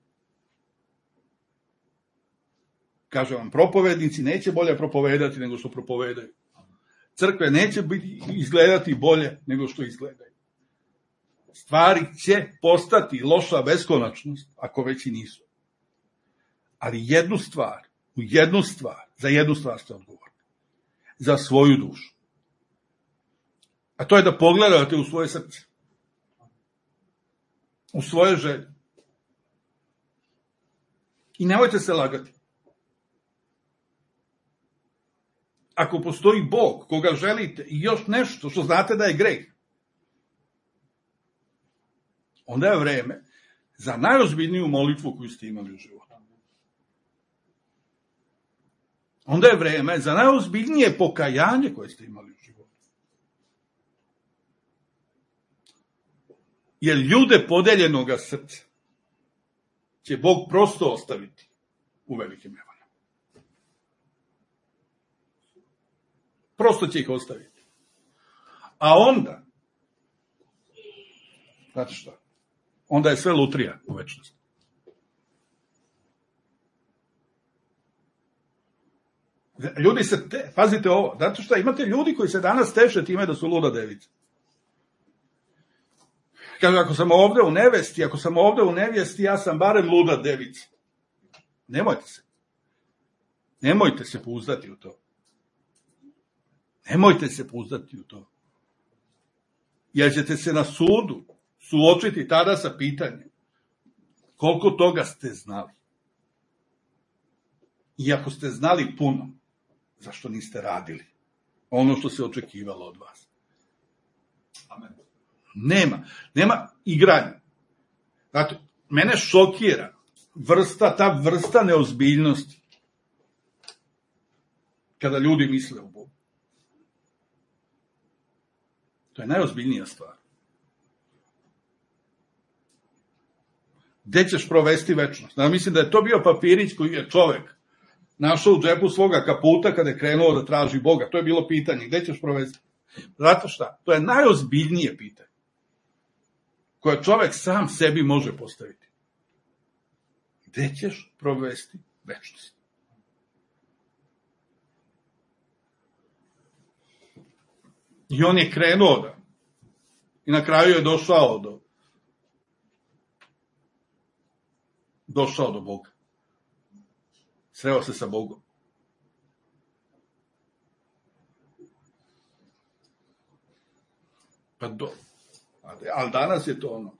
Kažem vam, propovednici neće bolje propovedati nego što propovedaju. Crkve neće izgledati bolje nego što izgledaju. Stvari će postati loša beskonačnost, ako već i nisu. Ali za jednu stvar ste odgovorni. Za svoju dušu. A to je da pogledate u svoje srce. U svoje želje. I nemojte se lagati. Ako postoji Bog koga želite i još nešto što znate da je greh, onda je vreme za najozbiljniju molitvu koju ste imali u životu. Onda je vreme za najozbiljnije pokajanje koje ste imali u životu. jer ljude podeljenoga srca će Bog prosto ostaviti u velikim nevoljama. Prosto će ih ostaviti. A onda, znate šta, onda je sve lutrija u večnosti. Ljudi se, pazite ovo, zato što imate ljudi koji se danas teše time da su luda devica. Kaže, ako sam ovde u nevjesti, ja sam barem luda devica. Nemojte se pouzdati u to. Nemojte se pouzdati u to. Jer ćete se na sudu suočiti tada sa pitanjem koliko toga ste znali. I ako ste znali puno, zašto niste radili ono što se očekivalo od vas? Amen. Nema igranja. Znate, mene šokira ta vrsta neozbiljnosti kada ljudi misle o Bogu. To je najozbiljnija stvar. Gde ćeš provesti večnost? Mislim da je to bio papirić koji je čovek našao u džepu svoga kaputa kada je krenuo da traži Boga. To je bilo pitanje. Gde ćeš provesti? Zato šta? To je najozbiljnije pitanje koje čovek sam sebi može postaviti. Gde ćeš provesti večnost? I on je krenuo da. I na kraju je došao do Boga. Sreo se sa Bogom. Ali danas je to ono.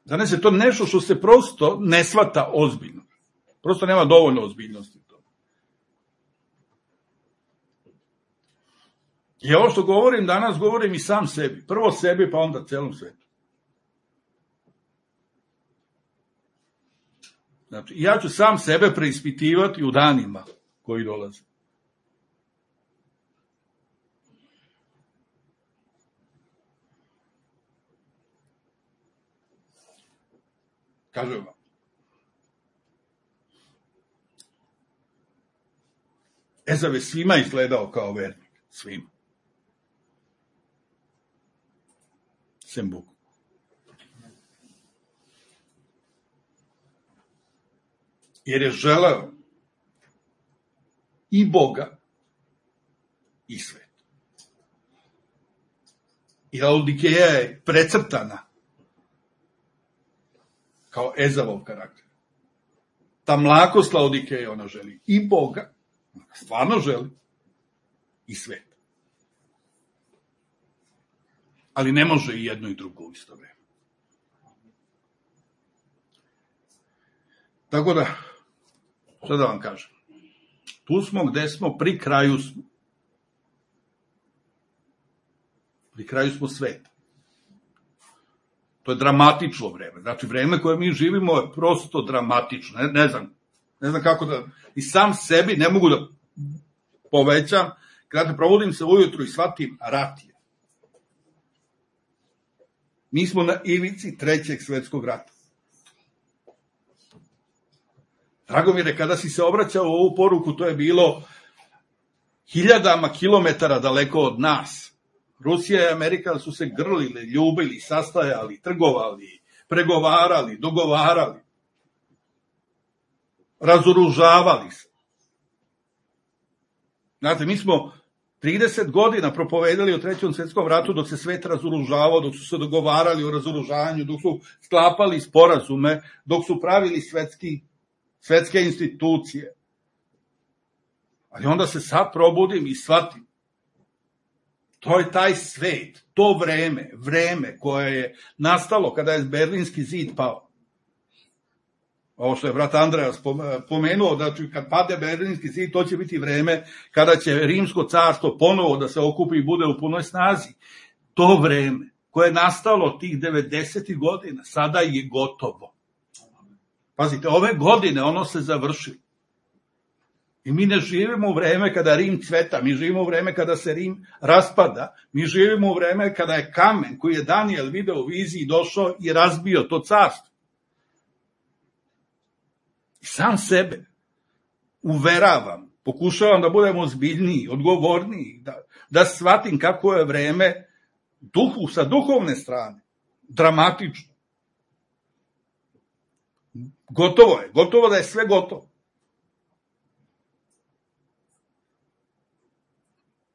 Danas je to nešto što se prosto ne shvata ozbiljno. Prosto nema dovoljno ozbiljnosti. I ovo što govorim danas, govorim i sam sebi. Prvo sebi, pa onda celom svetu. Znači, ja ću sam sebe preispitivati u danima koji dolaze. Kažem vam. Ezav je svima izgledao kao vernik. Svima. Sem Bogu. Jer je želeo i Boga i svet. I Laodikeja je precrtana kao Ezavov karakter. Ta mlakost Laodikeje, ona želi i Boga, ona stvarno želi, i svet. Ali ne može i jedno i drugo u isto vreme. Tako da, što da vam kažem, tu smo gde smo, pri kraju smo. Pri kraju smo sveta. To je dramatično vreme. Znači, vreme koje mi živimo je prosto dramatično. Ne znam kako da, i sam sebi ne mogu da povećam, kada provodim se ujutru i shvatim, rat je. Mi smo na ivici 3. svetskog rata. Dragomire, kada si se obraćao u ovu poruku, to je bilo hiljadama kilometara daleko od nas. Rusija i Amerika su se grlili, ljubili, sastajali, trgovali, pregovarali, dogovarali, razoružavali se. Znate, mi smo 30 godina propovedali o 3. svetskom ratu dok se svet razoružavao, dok su se dogovarali o razoružanju, dok su sklapali sporazume, dok su pravili svetske institucije. Ali onda se sad probudim i shvatim. To je taj svet, to vreme koje je nastalo kada je Berlinski zid pao. Ovo što je brat Andreja pomenuo, da kad pade Berlinski zid, to će biti vreme kada će Rimsko carstvo ponovo da se okupi i bude u punoj snazi. To vreme koje je nastalo tih 90. godina, sada je gotovo. Pazite, ove godine ono se završilo. I mi ne živimo u vreme kada Rim cveta, mi živimo u vreme kada se Rim raspada, mi živimo u vreme kada je kamen koji je Danijel video u viziji došao i razbio to carstvo. I sam sebe uveravam, pokušavam da budem ozbiljniji, odgovorniji, da shvatim kako je vreme sa duhovne strane, dramatično. Gotovo da je sve gotovo.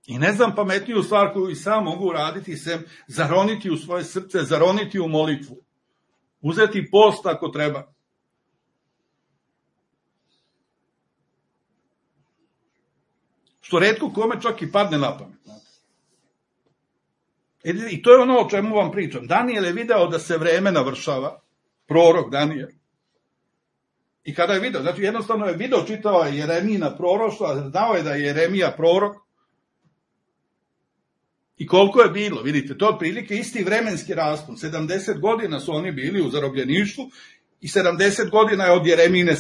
I ne znam pametniju stvar koju i sam mogu uraditi, sem zaroniti u svoje srce, zaroniti u molitvu. Uzeti post ako treba. Što retko kome čak i padne na pamet. I to je ono o čemu vam pričam. Danijel je video da se vreme navršava, prorok Danijel. I kada je video, znači jednostavno je video, čitao je Jeremijina proroštva, znao je da je Jeremija prorok. I koliko je bilo, vidite, to je otprilike isti vremenski raspon. 70 godina su oni bili u zarobljeništvu i 70 godina je od Jeremijine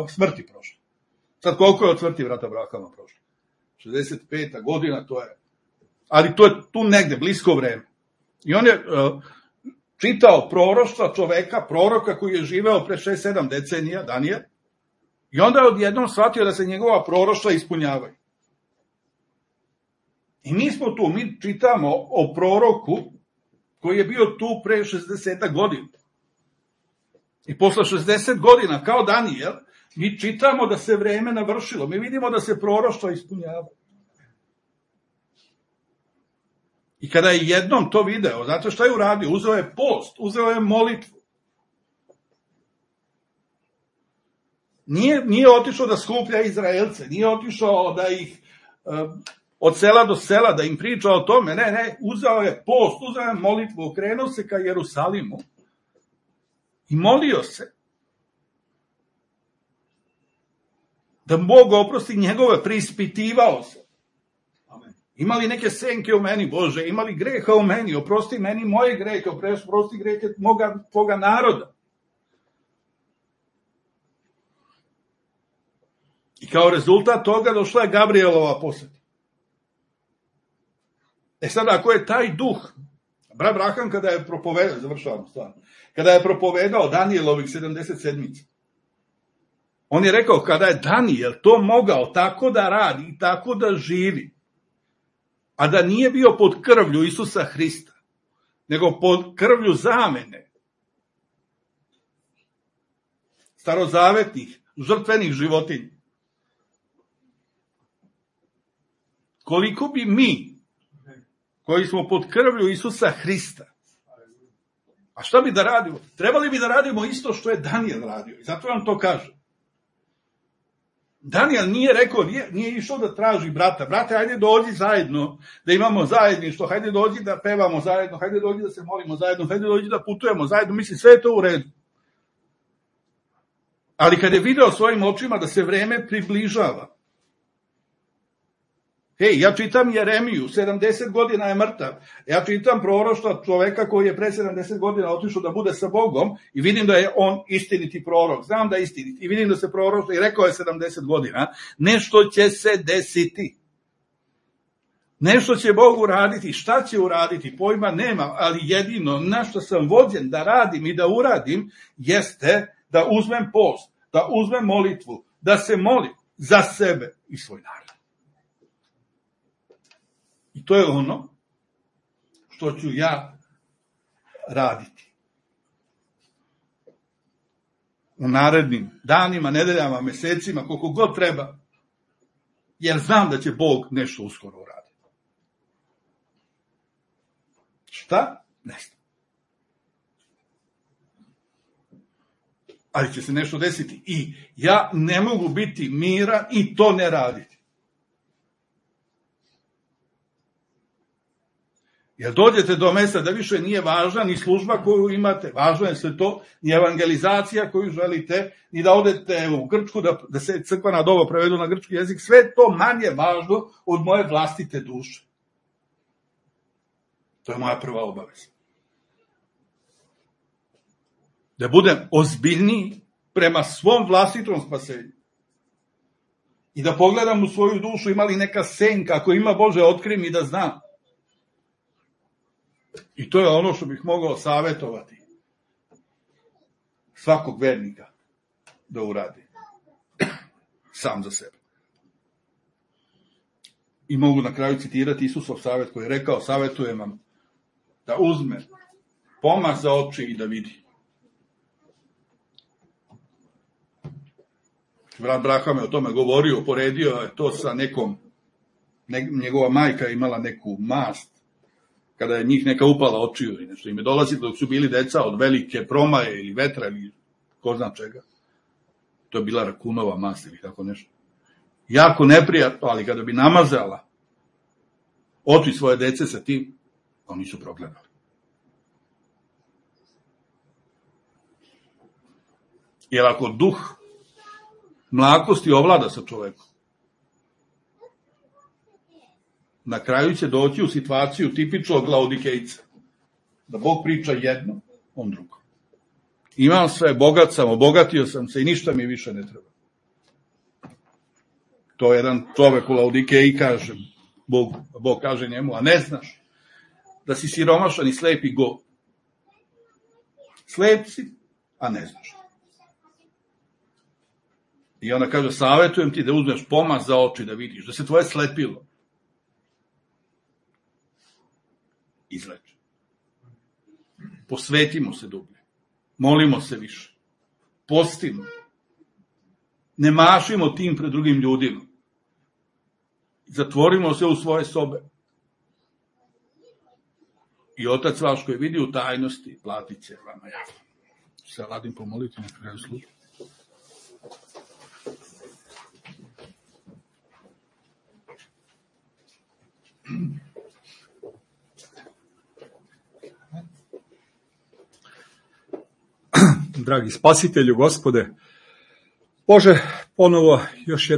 smrti prošlo. Sad koliko je od smrti brata Abrahama prošlo? 65. godina, to je. Ali to je tu negde, blisko vreme. I on je čitao proroštva čoveka, proroka koji je živeo pre 6-7 decenija, Danijel, i onda je odjednom shvatio da se njegova proroštva ispunjavaju. I mi smo tu, mi čitamo o proroku koji je bio tu pre 60 godina. I posle 60 godina, kao Danijel, mi čitamo da se vreme navršilo. Mi vidimo da se proroštva ispunjavaju. I kada je jednom to video, znate šta je uradio? Uzeo je post, uzeo je molitvu. Nije otišao da skuplja Izraelce, nije otišao da ih od sela do sela, da im priča o tome, ne, uzeo je post, uzeo je molitvu, okrenuo se ka Jerusalimu i molio se da Bog oprosti njegove, preispitivao se. Imali neke senke u meni, Bože, imali greha u meni, oprosti meni moje grehe, oprosti grehe tvoga naroda. I kao rezultat toga došla je Gabrielova poseta. Sad, ako je taj duh, brat Abraham kada je propovedao, završavam stvarno, kada je propovedao Danijelovih 77. On je rekao, kada je Danijel to mogao tako da radi i tako da živi, a da nije bio pod krvlju Isusa Hrista, nego pod krvlju zamene, starozavetnih, žrtvenih životinja. Koliko bi mi, koji smo pod krvlju Isusa Hrista, a šta bi da radimo? Trebali bi da radimo isto što je Danijel radio. I zato vam to kažem. Danijel nije rekao, nije išao da traži brata. Brate, hajde dođi zajedno, da imamo zajedništvo, hajde dođi da pevamo zajedno, hajde dođi da se molimo zajedno, hajde dođi da putujemo zajedno. Mislim, sve je to u redu. Ali kad je video svojim očima da se vreme približava, ja čitam Jeremiju, 70 godina je mrtav. Ja čitam proroštva čoveka koji je pre 70 godina otišao da bude sa Bogom i vidim da je on istiniti prorok. Znam da je istiniti i vidim da se proroštva i rekao je 70 godina. Nešto će se desiti. Nešto će Bog uraditi. Šta će uraditi? Pojma nema, ali jedino na što sam vođen da radim i da uradim jeste da uzmem post, da uzmem molitvu, da se molim za sebe i svoj narod. I to je ono što ću ja raditi. U narednim danima, nedeljama, mesecima, koliko god treba, jer znam da će Bog nešto uskoro uraditi. Šta? Ne znam. Ali će se nešto desiti. I ja ne mogu biti miran i to ne raditi. Jer dođete do mesta da više nije važna ni služba koju imate, važno je sve to, ni evangelizacija koju želite, ni da odete u Grčku, da se crkvena doba prevedu na grčki jezik, sve to manje važno od moje vlastite duše. To je moja prva obaveza. Da budem ozbiljniji prema svom vlastitom spasenju. I da pogledam u svoju dušu, ima li neka senka, ako ima, Bože, otkri mi da znam. I to je ono što bih mogao savjetovati svakog vernika da uradi. Sam za sebe. I mogu na kraju citirati Isusov savjet koji je rekao, savjetujem vam da uzme pomaz za oči i da vidi. Brat Braham je o tome govorio, poredio je to sa nekom, njegova majka je imala neku mast, kada je njih neka upala očiju ili nešto. Im je dolazi dok su bili deca od velike promaje ili vetra ili ko zna čega. To je bila rakunova mast ili tako nešto. Jako neprijatno, ali kada bi namazala oči svoje dece sa tim, oni su progledali. Jer ako duh mlakosti ovlada sa čovekom, na kraju će doći u situaciju tipičnog Laodikejca, da Bog priča jedno, on drugo. Imam sve, bogat sam, obogatio sam se i ništa mi više ne treba. To je jedan čovek u Laodikeji kaže, Bog kaže njemu, a ne znaš da si siromašan i slep i go. Slep si, a ne znaš. I onda kaže, savjetujem ti da uzmeš pomaz za oči da vidiš, da se tvoje slepilo izleče. Posvetimo se dublje. Molimo se više. Postimo. Ne mašimo tim pred drugim ljudima. Zatvorimo se u svoje sobe. I Otac vaš koji vidi u tajnosti, platit će vama javno. Se ladim pomoliti na kraju službe. Dragi spasitelju, Gospode, Bože, ponovo još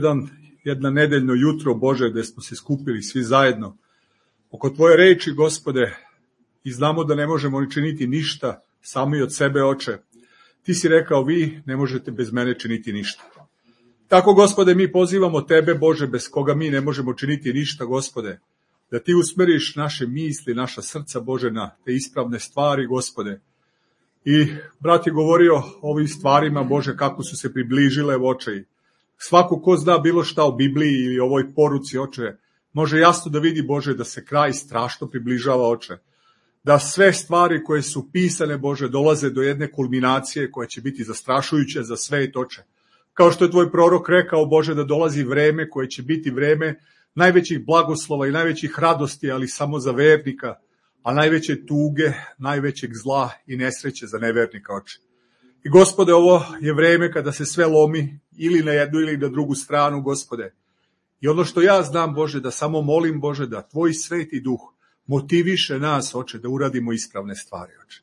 jedna nedeljno jutro, Bože, gde smo se skupili svi zajedno oko Tvoje reči, Gospode, i znamo da ne možemo ni činiti ništa sami od sebe, Oče. Ti si rekao, vi ne možete bez mene činiti ništa. Tako, Gospode, mi pozivamo Tebe, Bože, bez koga mi ne možemo činiti ništa, Gospode, da Ti usmeriš naše misli, naša srca, Bože, na te ispravne stvari, Gospode. I brat je govorio o ovim stvarima, Bože, kako su se približile, Oče. Svako ko zna bilo šta o Bibliji ili ovoj poruci, Oče, može jasno da vidi, Bože, da se kraj strašno približava, Oče. Da sve stvari koje su pisane, Bože, dolaze do jedne kulminacije koja će biti zastrašujuća za svet, Oče. Kao što je Tvoj prorok rekao, Bože, da dolazi vreme koje će biti vreme najvećih blagoslova i najvećih radosti, ali samo za vernika, a najveće tuge, najvećeg zla i nesreće za nevernika, Oče. I, Gospode, ovo je vreme kada se sve lomi ili na jednu ili na drugu stranu, Gospode. I ono što ja znam, Bože, da samo molim, Bože, da Tvoj sveti duh motiviše nas, Oče, da uradimo ispravne stvari, Oče.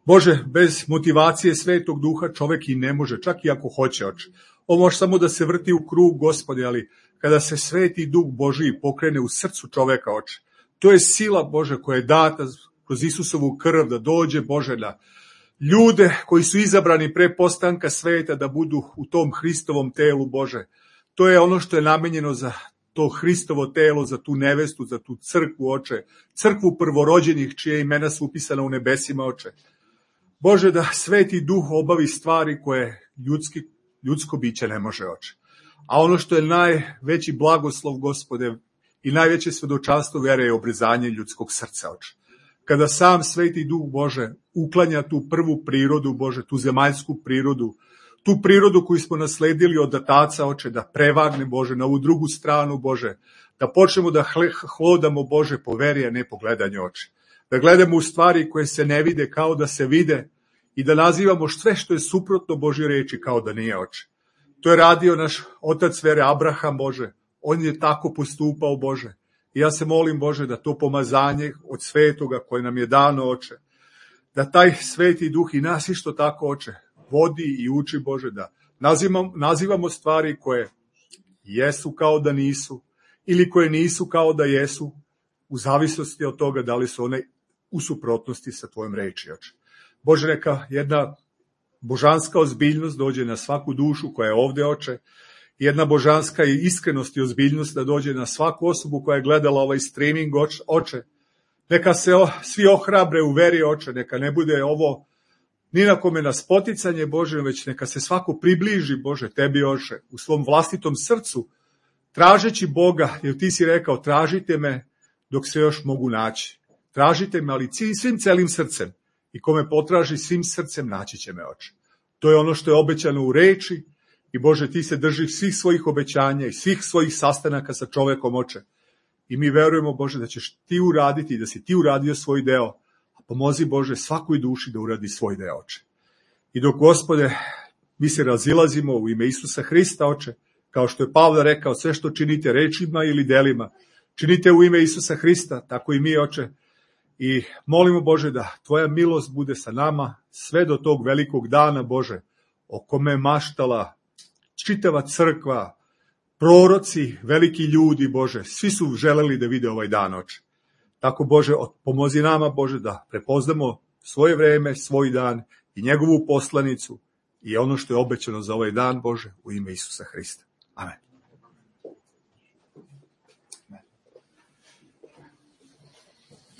Bože, bez motivacije svetog duha čovek i ne može, čak i ako hoće, Oče. On može samo da se vrti u krug, Gospode, ali kada se sveti duh Božiji pokrene u srcu čoveka, Oče, to je sila, Bože, koja je data kroz Isusovu krv da dođe, Bože, na ljude koji su izabrani pre postanka sveta da budu u tom Hristovom telu, Bože. To je ono što je namenjeno za to Hristovo telo, za tu nevestu, za tu crkvu, Oče. Crkvu prvorođenih čije imena su upisana u nebesima, Oče. Bože, da sveti duh obavi stvari koje ljudsko biće ne može, Oče. A ono što je najveći blagoslov, Gospode, i najveće svedočanstvo vere je obrezanje ljudskog srca, Oče. Kada sam sveti duh, Bože, uklanja tu prvu prirodu, Bože, tu zemaljsku prirodu, tu prirodu koju smo nasledili od Otaca, Oče, da prevagne, Bože, na ovu drugu stranu, Bože, da počnemo da hlodamo, Bože, po veri, a ne po gledanju, Oče. Da gledamo u stvari koje se ne vide kao da se vide i da nazivamo sve što je suprotno Božje reči kao da nije, Oče. To je radio naš otac vere Abraham, Bože. On je tako postupao, Bože. I ja se molim, Bože, da to pomazanje od svetoga koje nam je dano, Oče, da taj sveti duh i nas isto tako, Oče, vodi i uči, Bože, da nazivamo stvari koje jesu kao da nisu ili koje nisu kao da jesu, u zavisnosti od toga da li su one u suprotnosti sa Tvojom reči, Oče. Bože, neka jedna božanska ozbiljnost dođe na svaku dušu koja je ovde, Oče, jedna božanska i iskrenost i ozbiljnost da dođe na svaku osobu koja je gledala ovaj streaming, oče. Neka se svi ohrabre u veri, oče, neka ne bude ovo ni na kome na spoticanje, Bože, već neka se svako približi, Bože, tebi, oče, u svom vlastitom srcu, tražeći Boga, jer ti si rekao, tražite me dok se još mogu naći. Tražite me, ali svim celim srcem. I kome potraži svim srcem, naći će me, oče. To je ono što je obećano u reči i, Bože, ti se držiš svih svojih obećanja i svih svojih sastanaka sa čovekom, oče. I mi verujemo, Bože, da ćeš ti uraditi i da si ti uradio svoj deo. A pomozi, Bože, svakoj duši da uradi svoj deo, oče. I dok, Gospode, mi se razilazimo u ime Isusa Hrista, oče, kao što je Pavle rekao, sve što činite rečima ili delima, činite u ime Isusa Hrista, tako i mi, oče. I molimo, Bože, da tvoja milost bude sa nama sve do tog velikog dana, Bože, o kome je maštala čitava crkva, proroci, veliki ljudi, Bože, svi su želeli da vide ovaj dan, oče. Tako, Bože, pomozi nama, Bože, da prepoznamo svoje vreme, svoj dan i njegovu poslanicu i ono što je obećano za ovaj dan, Bože, u ime Isusa Hrista. Amen.